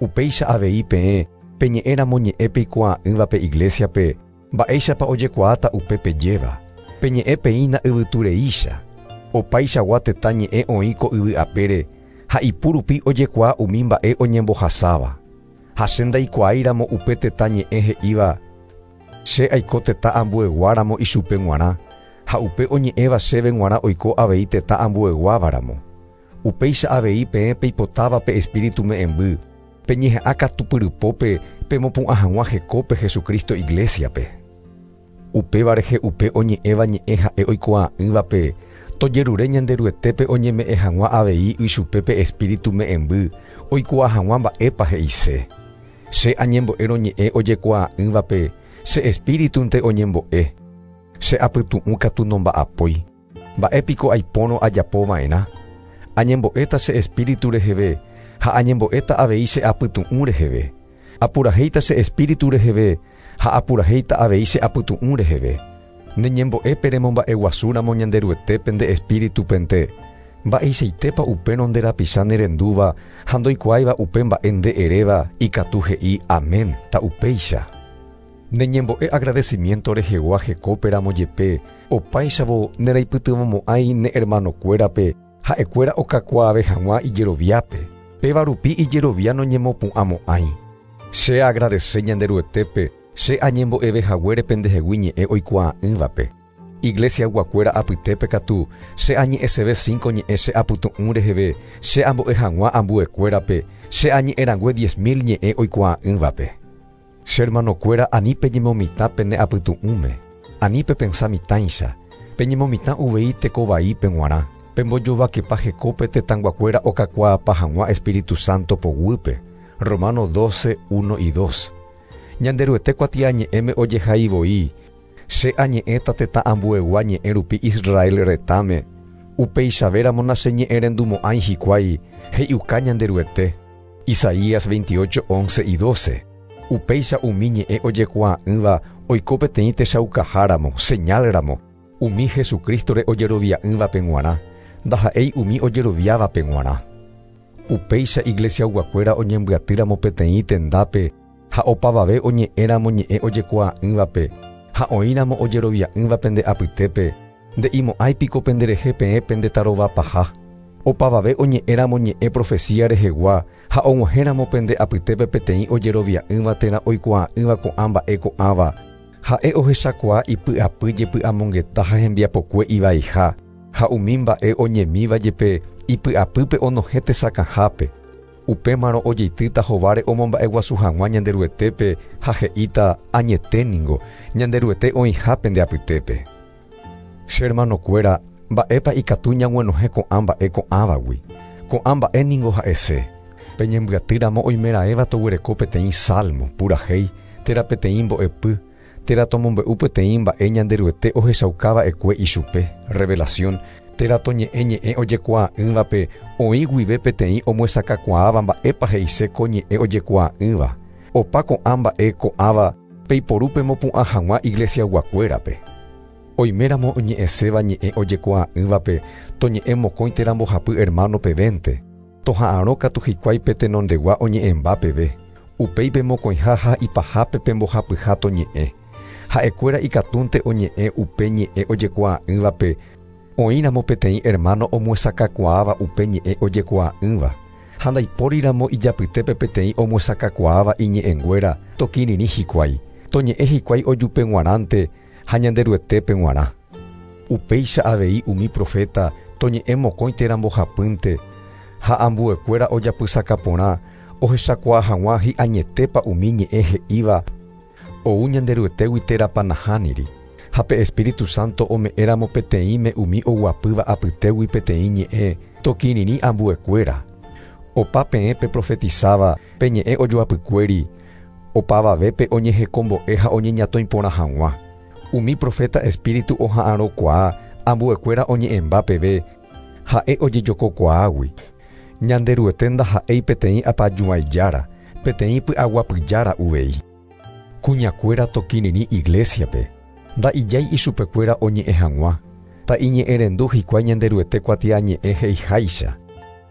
Upéicha avei peẽ peñe'ẽramo ñe'ẽ peikuaa'ỹva pe iglesiape, mba'éichapa ojekuaáta upe pejéva. Peñe'ẽ peína yvytureícha. Opaichagua tetã ñe'ẽ oĩ ko yvy apére ha ipu rupi ojekuaa umi mba'e oñembohasáva. Ha che ndaikuaáiramo upe tetã ñe'ẽ he'íva che aiko tetã ambueguáramo ichupe g̃uarã, ha upe oñe'ẽva chéve g̃uarã oiko avei tetã ambueguávaramo. Upéicha avei peẽ peipotáva pe espíritu me'ẽmby, peñeha'ã katupyrypópe pemopu'ã hag̃ua hekópe Jesucristo iglesiape. Upéva rehe upe oñe'ẽva ñe'ẽ ha'e oikuaa'ỹvape, tojerure Ñanderuetépe oñeme'ẽ hag̃ua avei ichupe pe espíritu me'ẽmby oikuaa hag̃ua mba'épa he'ise. Che añembo'érõ ñe'ẽ ojekuaa'ỹvape, che espíritunte oñembo'e. Che apytu'ũ katu nomba'apói. Mba'épiko aipórõ ajapova'erã. Añembo'éta che espíritu reheve ha añembo'éta avei che apytu'ũ reheve. Apurahéita che espíritu reheve ha apurahéita avei che apytu'ũ reheve. Neñembo'épe remomba'eguasúramo Ñanderuetépe nde espíritupente, mba'eichaitépa upérõ nde rapicha nerendúva ha ndoikuaáiva upe mba'e nde eréva ikatu he'i amén ta upéicha. Neñembo'e agradecimiento rehegua hekóperamo jepe opáichavo neraipytyvõmo'ãi ne hermanokuérape ha'ekuéra okakuaave hag̃ua ijeroviápe. Péva rupi ijerovia noñemopu'ãmo'ãi. Che agradece Ñanderuetépe che añembo'eve haguére pendehegui ñe'ẽ oikuaa'ỹvape. Iglesiaguakuéra apytépe katu che añe'ẽseve cinco ñe'ẽ che apytu'ũ reheve che ambo'e hag̃ua ambuekuérape che añe'ẽrangue diez mil ñe'ẽ oikuaa'ỹvape. Che hermanokuéra ani peñemomitã pene apytu'ũme, ani pepensa mitãicha, peñemomitã uvei tekovaípe g̃uarã, pembojovakepa hekópe tetãnguakuéra okakuaapa hag̃ua Espíritu Santo poguýpe. Romano doce, uno y dos. Ñanderuete kuatiañe'ẽme ojehaivoi, che añe'ẽta tetã ambuegua ñe'ẽ rupi Israel retãme, upeichavéramo nacheñe'ẽrendumo'ãi hikuái he'iuka Ñanderuete. Isaías veintiocho, once y doce. Upéicha umi ñe'ẽ ojekuaa'ỹva oiko peteĩ techaukaháramo, señalramo, umi Jesucristore ojerovia'ỹvape g̃uarã, ndaha'éi umi ojeroviávape g̃uarã. Upéicha iglesiaguakuéra oñembyatýramo peteĩ tendápe ha opavave oñe'ẽramo ñe'ẽ ojekuaa'ỹvape ha oĩramo ojerovia'ỹva pende apytépe, nde'imo'ãipiko penderehe peẽ pendetarovapaha. Opavave oñe'ẽramo ñe'ẽ profecía rehegua ha og̃uahẽramo pende apytépe peteĩ ojerovia'ỹva térã oikuaa'ỹva ko'ã mba'e ko'ãva, ha'e ohechakuaa ipy'apy jepy'amongeta ha hembiapokue ivaiha, ha umi mba'e oñemíva jepe ipy'apýpe onohẽ tesakãhápe. Upémarõ ojeitýta hováre omomba'eguasu hag̃ua Ñanderuetépe ha he'íta añeténingo Ñanderuete oĩha pende apytépe. Che hermanokuéra, mba'épa ikatu ñag̃uenohẽ ko'ã mba'e ko'ãvagui. Ko'ã mba'e ningo ha'ese. Peñembyatýramo oimeraẽva toguereko peteĩ salmo, purahéi, térã peteĩ mbo'epy, térã tomombe'u peteĩ mba'e Ñanderuete ohechaukava'ekue ichupe, revelación, térã toñe'ẽ ñe'ẽ ojekuaa'ỹvape oĩ guive peteĩ omyesakãkuaáva mba'épa he'ise ko ñe'ẽ ojekuaa'ỹva. Opa ko'ã mba'e ko'ãva peiporu pemopu'ã hag̃ua iglesiaguakuérape. Oiméramo oñe'ẽséva ñe'ẽ ojekuaa'ỹvape toñe'ẽ mokõi térã mbohapy hermano pevénte, toha'arõ katu hikuái pe tenondegua oñe'ẽmba peve. Upéi pemokõiha ha ipahápe pembohapyha toñe'ẽ. Ha'ekuéra ikatúnte oñe'ẽ upe ñe'ẽ ojekuaa'ỹvape oĩramo peteĩ hermano omyesakãkuaáva upe ñe'ẽ ojekuaa'ỹva. Ha ndaipóriramo ijapytépe peteĩ omyesakãkuaáva iñe'ẽnguéra tokirirĩ hikuái, toñe'ẽ hikuái ojupe g̃uarãnte ha Ñanderuetépe g̃uarã. Upéicha avei umi profeta toñe'ẽ mokõi térã mbohapýnte ha ambuekuéra ojapysakaporã ohechakuaa hag̃ua hi'añetépa umi ñe'ẽ he'íva ou Ñanderuetégui térãpa nahániri. Ha pe Espíritu Santo ome'ẽramo peteĩme umi oguapýva apytégui peteĩ ñe'ẽ tokirirĩ ambuekuéra. Opa peẽ peprofetizáva pe ñe'ẽ ojoapykuéri, opavavépe oñehekombo'e ha oñeñatõiporã hag̃ua. Umi profeta espíritu oha'arõkuaa ambuekuéra oñe'ẽmba peve ha'e ojejokokuaágui. Ñanderuete ndaha'éi peteĩ apajuãijára, Peteĩ py'aguapyjára uvei. Kuñakuéra tokirirĩ iglesiape. Nda'ijái ichupekuéra oñe'ẽ hag̃ua. Ta'iñe'ẽrendu hikuái Ñanderuete kuatiañe'ẽ he'iháicha.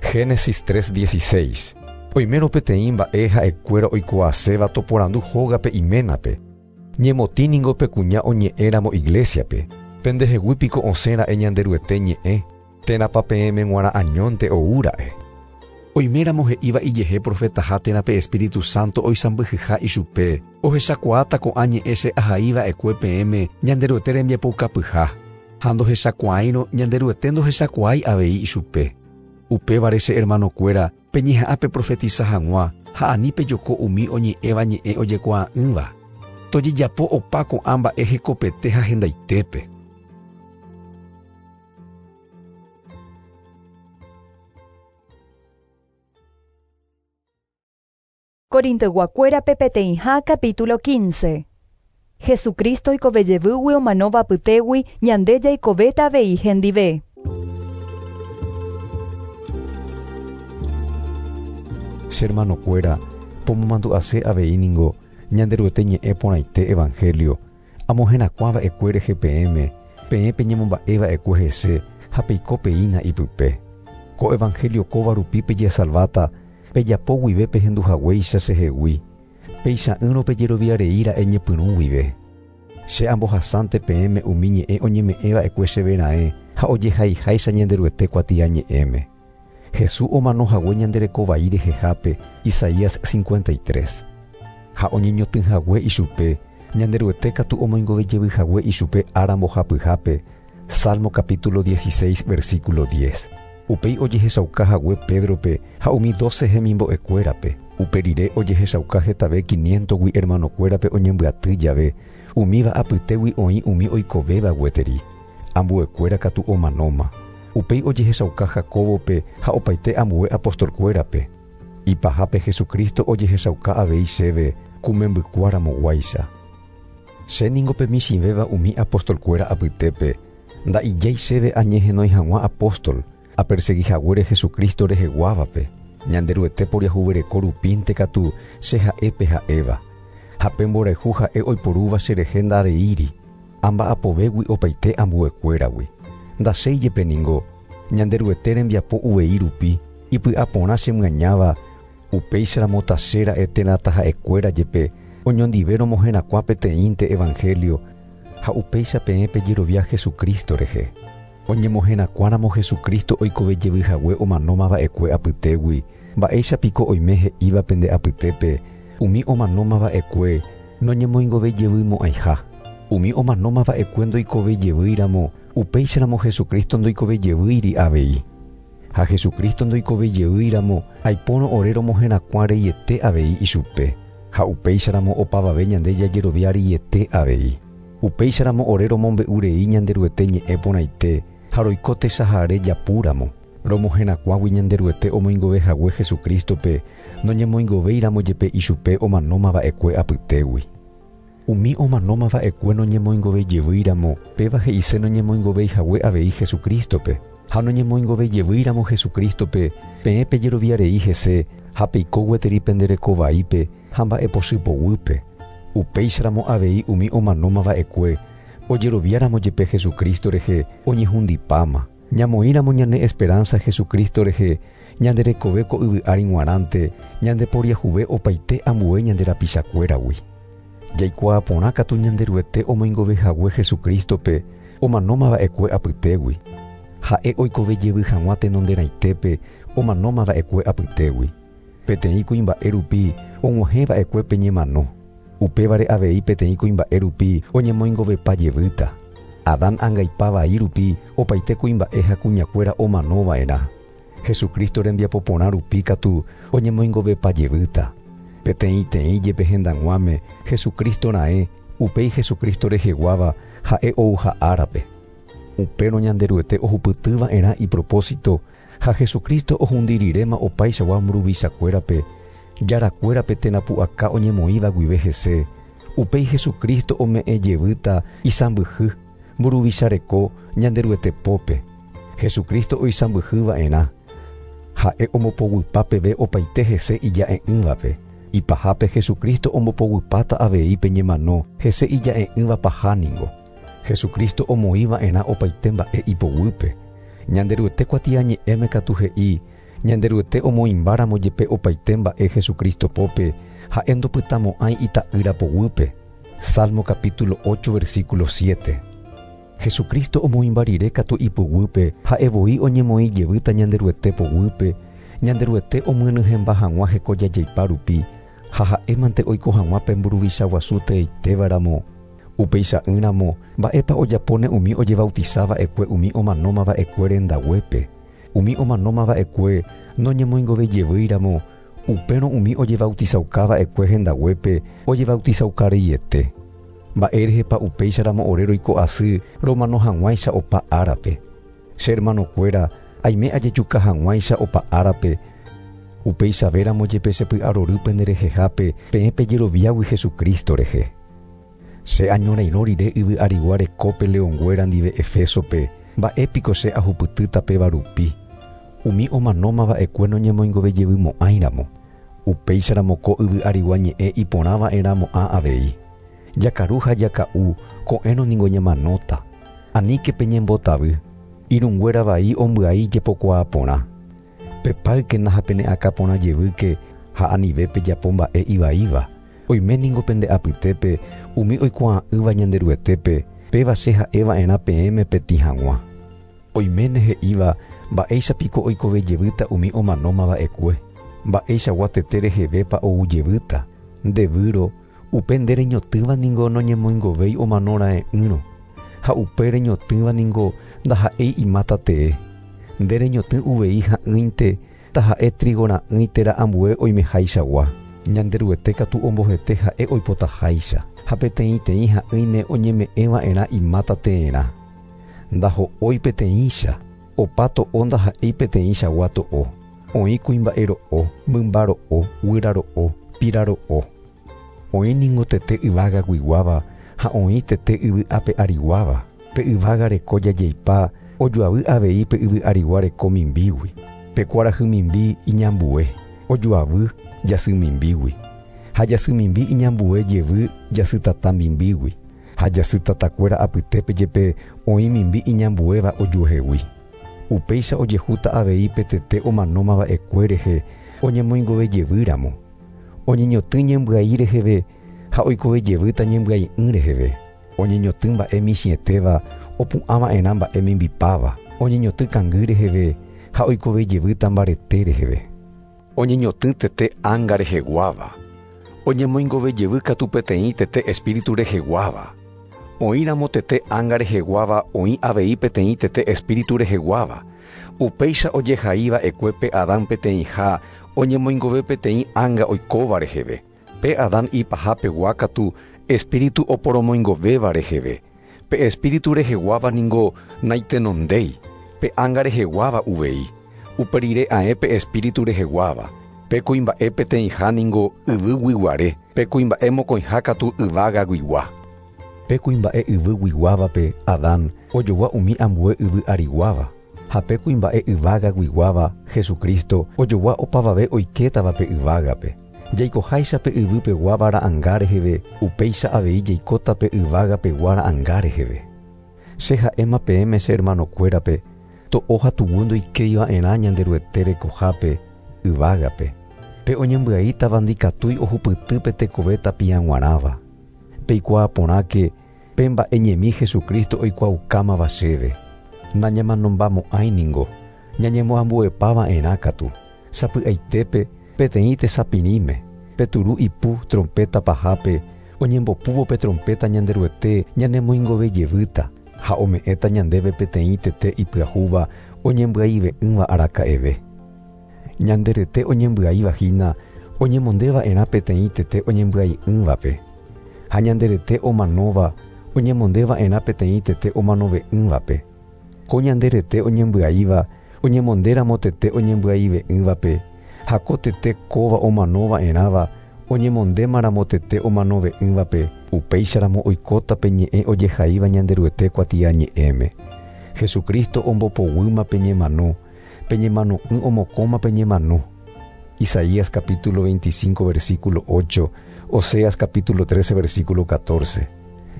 Génesis tres dieciséis. Oimérõ peteĩ mba'e ha'ekuéra oikuaaséva toporandu hógape iménape. Ñemotĩ ningo pe kuña oñe'ẽramo iglesiape. Pendehegui piko osẽra'e Ñanderuete ñe'ẽ, térãpa peẽme g̃uarã añónte oúra'e. Oiméramo he'íva ijehe profetaha térã pe Espíritu Santo oisãmbyhyha ichupe, ohechakuaáta ko'ã ñe'ẽ che ahaiva'ekue peẽme Ñanderuete rembiapoukapyha, ha ndohechakuaáirõ Ñanderuete ndohechakuaái avei ichupe. Upévare che hermanokuéra peñeha'ã peprofetiza hag̃ua ha ani pejoko umi oñe'ẽva ñe'ẽ ojekuaa'ỹva. Tojejapo opa ko'ã mba'e hekopete ha hendaitépe. Corintoyguakuérape peteĩha capítulo quince. Jesucristo oikovejevýgui omanóva apytégui ñande jaikovéta avei hendive. Che hermanokuéra, pomomandu'ase avei ningo Ñanderuete ñe'ẽ porãite evangelio, amoherakuãva'ekue rehe peẽme, peẽ peñemomba'eva'ekue hese ha peiko peína ipype. Ko evangelio kóva rupi pejesalváta, pejapo guive pehenduhaguéicha chehegui, peicha'ỹrõ pejeroviareíra'e ñepyrũ guive. Che ambohasánte peẽme umi ñe'ẽ oñeme'ẽva'ekue chevera'ẽ ha ojehaiháicha Ñanderuete kuatiañe'ẽme. Jesús omanohague ñanderekovai rehehápe, Isaías cincuenta y tres. Ha oñeñotỹhague ichupe, Ñanderuete katu omoingovejevyhague ichupe ára mbohapyhápe, Salmo capítulo dieciséis, versículo diez. Upéi ojehechaukahague Pedrope ha umi doce hemimbo'ekuérape. Upe rire ojehechauka hetave quinientogui hermanokuérape oñembyaty jave, umíva apytégui oĩ umi oikovéva gueteri. Ambuekuéra katu omanóma. Upéi ojehechauka Jacobope ha opaite ambue apostolkuérape. Ipahápe Jesucristo ojehechauka avei chéve kumembykuáramoguáicha. Che ningo pe michĩvéva umi apostolkuéra apytépe, nda'ijái chéve añehenói hag̃ua apóstol, aperseguihaguére Jesucristo reheguávape. Ñanderuete poriahuvereko rupínte katu che ha'épe ha'éva. Ha pe mborayhu ha'e oiporúva cherehe ndareíri, amba'apovégui opaite ambuekuéragui. Ndachéijepe ningo, Ñanderuete rembiapo uvei rupi, ipy'aporã chemyañáva, upéicharamo tachéra'e térã taha'ekuéra jepe, oñondive romoherakuã peteĩnte evangelio, ha upéicha peẽ pejerovia Jesucristo rehe. Oñemoherakuãramo Jesucristo oikovejevyhague omanómava'ekue apytégui, mba'éichapiko oime he'íva pende apytépe, umi omanómava'ekue noñemoingovejevymo'ãiha. Umi omanómava'ekue ndoikovejevýiramo, upéicharamo Jesucristo ndoikovejevýiri avei. Ha Jesucristo ndoikovejevýiramo, aipórõ ore romoherakuã reiete avei ichupe. Ha upéicharamo opavave ñande jajerovia reiete avei. Upéicharamo ore romombe'urei Ñanderuete ñe'ẽ porãite, ha roiko tesahare japúramo. Romoherakuãgui Ñanderuete omoingovehague Jesucristope, noñemoingovéiramo jepe ichupe omanómava'ekue apytégui. Umi omanómava'ekue noñemoingovejevýiramo, péva he'ise noñemoingoveihague avei Jesucristope. Ha noñemoingovejevýiramo Jesucristope, peẽ pejeroviarei hese, ha peiko gueteri penderekovaípe ha mba'epochypoguýpe. Upéicharamo avei umi omanómava'ekue, ojeroviáramo jepe Jesucristo rehe oñehundipáma. Ñamoĩramo ñane esperanza Jesucristo rehe, ñanderekove ko yvy ári g̃uarãnte, ñandeporiahuve opaite ambue ñande rapichakuéragui. Jaikuaa katu Ñanderuete omoingovehague Jesucristope, omanómava'ekue apytégui. Ha'e oikovejevy hag̃ua tenonderãitépe, omanómava'ekue apytégui. Peteĩ kuimba'e rupi og̃uahẽva'ekue pe ñemano. Upévare avei peteĩ kuimba'e rupi oñemoingovepa jevýta. Adán angaipavai rupi opaite kuimba'e ha kuñakuéra omanova'erã. Jesucristo rembiapo porã rupi katu oñemoingovepa jevýta. Peteĩteĩ jepe hendag̃uáme Jesucristo ra'e, upéi Jesucristo reheguáva ha'e ouha árape. Upérõ Ñanderuete ohupytyva'erã ipropósito ha Jesucristo ohundirirema opaichagua mburuvichakuérape, jarakuérape térã pu'aka oñemoĩva guive hese. Upéi Jesucristo ome'ẽ jevýta isãmbyhy mburuvichareko Ñanderuete pópe. Jesucristo oisãmbyhyva'erã. Ha'e omopoguypa peve opaite hese ija'e'ỹvape. Ipahápe Jesucristo ombopoguypáta avei pe ñemano hese ija'e'ỹva paha ningo. Jesucristo omoĩva'erã opaite mba'e ipoguýpe. Ñanderuete kuatiañe'ẽme katu he'i Ñanderuete omoĩmbáramo jepe opaite mba'e Jesucristo pópe ha'e ndopytamo'ãi ita'ýra poguýpe. Salmo capítulo ocho versículo siete. Jesucristo omoĩmba rire katu ipoguýpe ha'e voi oñemoĩ jevýta Ñanderuete poguýpe, Ñanderuete omyenyhẽmba hag̃ua hekojajeipa rupi ha ha'émante oiko hag̃ua pe mburuvicha guasu teeitévaramo. Upeicha'ỹramo mba'épa ojapóne umi ojebautizava'ekue umi omanómava'ekue rendaguépe. Umi omanómava'ekue noñemoingovejevýiramo, upérõ umi ojebautizaukava'ekue hendaguépe ojebautizaukareiete. Mba'érehepa upéicharamo ore roiko asy romano hag̃uáicha opa árape. Che hermanokuéra aime ajejuka hag̃uáicha opa árape. Upeichavéramo jepe chepy'arory penderehehápe peẽ pejeroviágui Jesucristo rehe. Che añorairõ rire yvy arigua rekópe leõnguéra ndive Efesope, mba'épiko che ahupytýta péva rupi. Umi omanómava'ekue noñemoingovejevymo'ãiramo. Upéicharamo ko yvy arigua ñe'ẽ iporãva'erãmo'ã avei. Jakaru ha jaka'u ko'ẽrõ ningo ñamanóta. Aníke peñembotavy. Irũnguéra vai ombyai jepokuaa porã. Pepáykena ha pene'akã porã jevýke ha anive pejapo mba'e ivaíva. Oime ningo pende apytépe umi oikuaa'ỹva Ñanderuetépe péva che ha'eva'erã peẽme petĩ hag̃ua. Oiméne he'íva mba'éichapiko oikovejevýta umi omanómava'ekue. Mba'eichagua tete rehevépa oujevýta. Ndevýro upe nde reñotỹva ningo noñemoingovéi omanora'e'ỹrõ. Ha upe reñotỹva ningo ndaha'éi imáta tee. Nde reñotỹ uvei ha'ỹinte taha'e trigo ra'ỹi térã ambue oimehaichagua. Ñanderuete katu ombohete ha'e oipotaháicha. Ha peteĩteĩ ha'ỹime oñeme'ẽva'erã imáta teerã. Ndaho'ói peteĩcha. Opa to'o ndaha'éi peteĩchagua to'o. Oĩ kuimba'e ro'o, mymba ro'o, guyra ro'o, pira ro'o. Oĩ ningo tete yvágaguiguáva ha oĩ tete yvy ape ariguáva. Pe yvága reko jajeipa ojoavy avei pe yvy arigua reko mimbígui. Pe kuarahy mimbi iñambue, ojoavy jasy mimbígui. Ha jasy mimbi iñambue jevy jasytata mimbígui. Ha jasytatakuéra apytépe jepe oĩ mimbi iñambuéva ojuehegui. Upéicha ojehúta avei pe tete omanómava'ekue rehe oñemoingovejevýramo. Oñeñotỹ ñembyai reheve ha oikovejevýta ñembyai'ỹ reheve. Oñeñotỹ mba'e michĩetéva opu'ãva'erã mba'e mimbipáva. Oñeñotỹ kangy reheve ha oikovejevýta mbarete reheve. Oñeñotỹ tete ánga reheguáva. Oñemoingovejevy katu peteĩ tete espíritu reheguáva. Oĩramo tete ánga reheguáva oĩ avei peteĩ tete espíritu reheguáva. Upéicha ojehaíva'ekue pe Adán peteĩha oñemoingove peteĩ ánga oikóva reheve. Pe Adán ipahapegua katu espíritu oporomoingovéva reheve. Pe espíritu reheguáva ningo naitenondéi. Pe ánga reheguáva uvei. Uperire ae pe espíritu reheguáva. Pe kuimba'e peteĩha ningo yvyguiguare. Pe kuimba'e mokõiha katu yvágaguigua. Pe kuimba'e yvyguiguávape Adán ojogua umi ambue yvy ariguáva. Ha pe kuimba'e yvágaguiguáva Jesucristo ojogua opavave oikétavape yvágape. Jaikoháicha pe yvypeguáva ra'ãnga reheve, upéicha avei jaikóta pe yvágapegua ra'ãnga reheve. Che ha'éma peẽme che hermanokuérape, to'o ha tuguy ndoikéiva'erã Ñanderuete rekohápe yvágape. Pe oñembyaítava ndikatúi ohupyty pe tekove tapiag̃uarãva. Peikuaa porãke pe mba'e ñemi Jesucristo oikuaaukámava chéve. Nañamanombamo'ãi ningo, ñañemoambuepava'erã katu. Sapy'aitépe peteĩ tesapirĩme, pe turu ipu trompeta pahápe, oñembopúvo pe trompeta Ñanderuete ñanemoingovejevýta ha ome'ẽta ñandéve peteĩ tete ipyahúva oñembyaive'ỹva araka'eve. Ñanderete oñembyaivahína oñemondeva'erã peteĩ tete oñembyai'ỹvape. Ha ñanderete omanóva oñemondeva'erã peteĩ tete omanove'ỹvape. Ko ñanderete oñembyaíva oñemondéramo tete oñembyaive'ỹvape, ha ko tete kóva omanova'erãva oñemondémaramo tete omanove'ỹvape, upéicharamo oikóta pe ñe'ẽ ojehaíva Ñanderuete kuatiañe'ẽme. Jesucristo ombopoguýma pe ñemano, pe ñemano'ỹ omokõma pe ñemano. Isaías capítulo veinticinco versículo ocho, Oseas capítulo trece versículo catorce.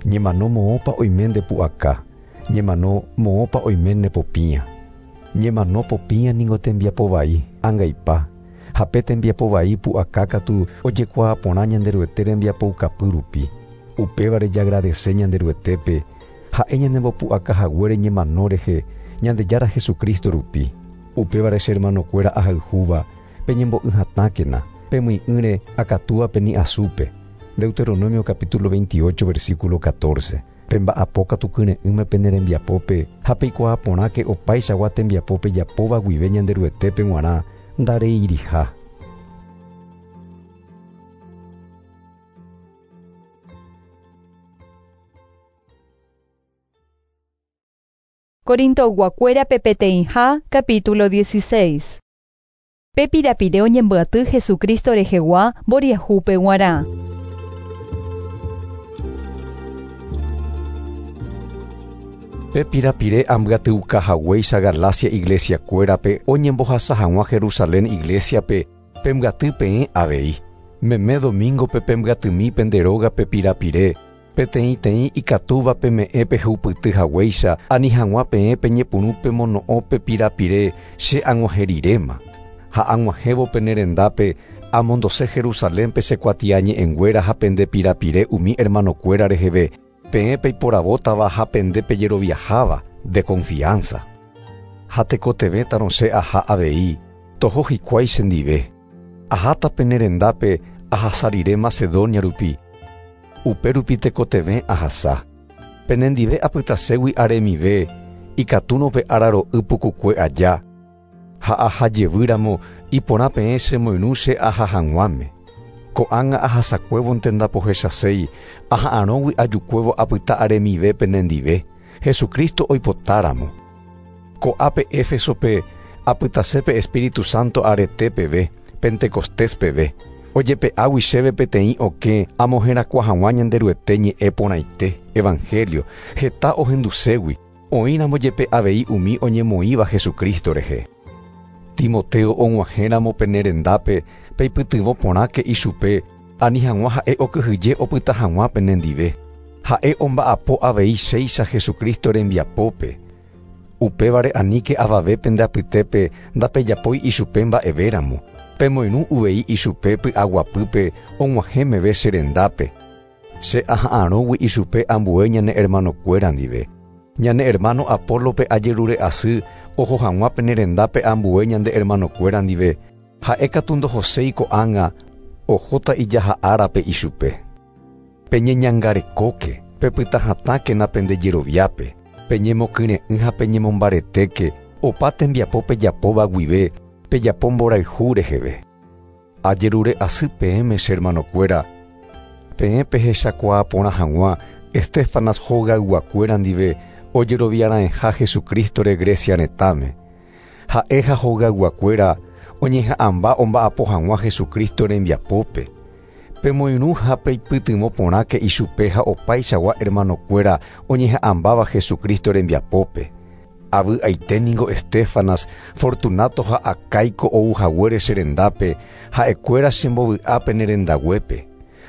Ñemano moopa oime nde pu'aka, ñemano moopa oime ne popía. Ñemano popía ningo tembiapo vai, angaipa. Ha pe tembiapo vai pu'aka katu ojekuaa porã Ñanderuete rembiapoukapy rupi. Upévare jagradece Ñanderuetépe, ha'e ñanembopu'aka haguére ñemano rehe, Ñandejára Jesucristo rupi. Upévare che hermanokuéra ahayhúva, peñembo'yhatãkena, pemy'ỹre akatúape ni asúpe. Deuteronomio capítulo veintiocho versículo catorce. Pemba'apo katu kyre'ỹme pene rembiapópe, ha peikuaa porãke opaichagua tembiapópe japóva guive Ñanderuetépe g̃uarã ndareiriha. Corinto guakuérape peteĩha capítulo dieciséis. Pe pirapire oñembyaty Jesucristo rehegua mboriahúpe g̃uarã. Pe pirapire ambyatyuka haguéicha Galacia iglesiakuérape oñembohasa hag̃ua Jerusalén iglesiape pembyaty peẽ avei. Meme domingope pembyatymi pende rógape pirapire, peteĩteĩ ikatúva peme'ẽ pehupyty haguéicha ani hag̃ua peẽ peñepyrũ pemono'õ pe pirapire che ag̃uahẽriréma. Ha ag̃uahẽvo pene rendápe amondose Jerusalénpe che kuatiañe'ẽnguéra ha pende pirapire umi hermanokuéra reheve, peẽ peiporavótava ha pende pejeroviaháva de confianza. Ha tekotevẽtarõ che aha avei, toho hikuái chendive. Aháta pene rendápe ahasa rire Macedonia rupi. Upe rupi tekotevẽ ahasa. Penendive apytaségui aremive, ikatúrõ pe araro'y pukukue aja. Ha ahajevýramo iporã peẽ chemoirũ che aha hag̃uáme. Ko'ág̃a ahasakuévonte ndapohechaséi, aha'arõgui ajukuévo apyta aremive penendive, Jesucristo oipotáramo. Ko'ápe Éfesope apytasépe Espíritu Santo arete peve, Pentecostés peve. Ojepe'águi chéve peteĩ okẽ amoherakuã hag̃ua Ñanderuete ñe'ẽ porãite, Evangelio, heta ohenduségui, oĩramo jepe avei umi oñemoĩva Jesucristo rehe. Timoteo og̃uahẽramo pene rendápe peipytyvõ porãke ichupe, ani hag̃ua ha'e okyhyje opyta hag̃ua penendive. Ha'e omba'apo avei chéicha Jesucristo rembiapópe. Upévare aníke avave pende apytépe ndapejapói ichupe mba'evéramo. Pemoirũ uvei ichupe py'aguapýpe og̃uahẽ meve che rendápe. Che aha'arõgui ichupe ambue ñane hermanokuéra ndive. Ñane hermano Apólope ajerure asy oho hag̃ua pene rendápe ambue ñande hermanokuéra ndive. Ha'e katu ndohoséi ko'ág̃a ohóta ijaha'árape ichupe. Peñeñangarekóke, pepytahatãkena pende jeroviápe, peñemokyre'ỹ ha peñemombaretéke, opa tembiapo pejapóva guive, pejapo mborayhu reheve. Ajerure asy peẽme che hermanokuéra, peẽ pehechakuaa porã hag̃ua Estéfanas hogayguakuéra ndive ojeroviarãeha Jesucristo-re Grecia retãme. Ha'e ha hogayguakuéra oñeha'ãmba omba'apo hag̃ua Jesucristo rembiapópe. Pemoirũ ha peipytyvõ porãke ichupe ha opaichagua hermanokuéra oñeha'ãmbáva Jesucristo rembiapópe. Avy'aite ningo Estéfanas, Fortunato ha Acaico ou haguére che rendápe, ha'ekuéra chembovy'a pene rendaguépe.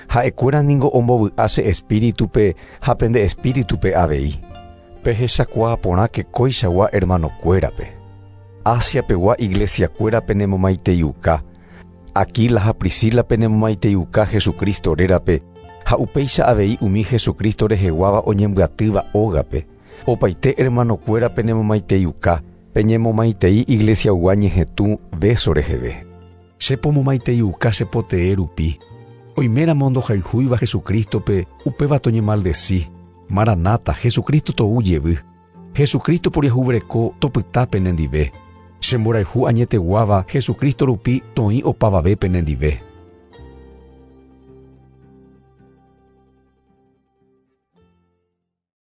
Ha'ekuéra ningo ombovy'a che espíritupe ha pende espíritupe avei. Pehechakuaa porãke koichagua hermanokuérape. Asiapegua iglesiakuéra penemomaiteiuka. Aquila ha Priscila penemomaiteiuka Jesucristo rérape, ha upéicha avei umi Jesucristo reheguáva oñembyatýva ógape. Opaite hermanokuéra penemomaiteiuka, peñemomaitei iglesiaygua ñehetũ beso reheve. Che pomomaiteiuka che potee rupi. Oiméramo ndohayhúiva Jesucristope, upéva toñemaldeci. Maranata, Jesucristo tou jevy. Jesucristo poriahuvereko topyta penendive. Che mborayhu añeteguáva Jesucristo rupi toĩ opavave penendive.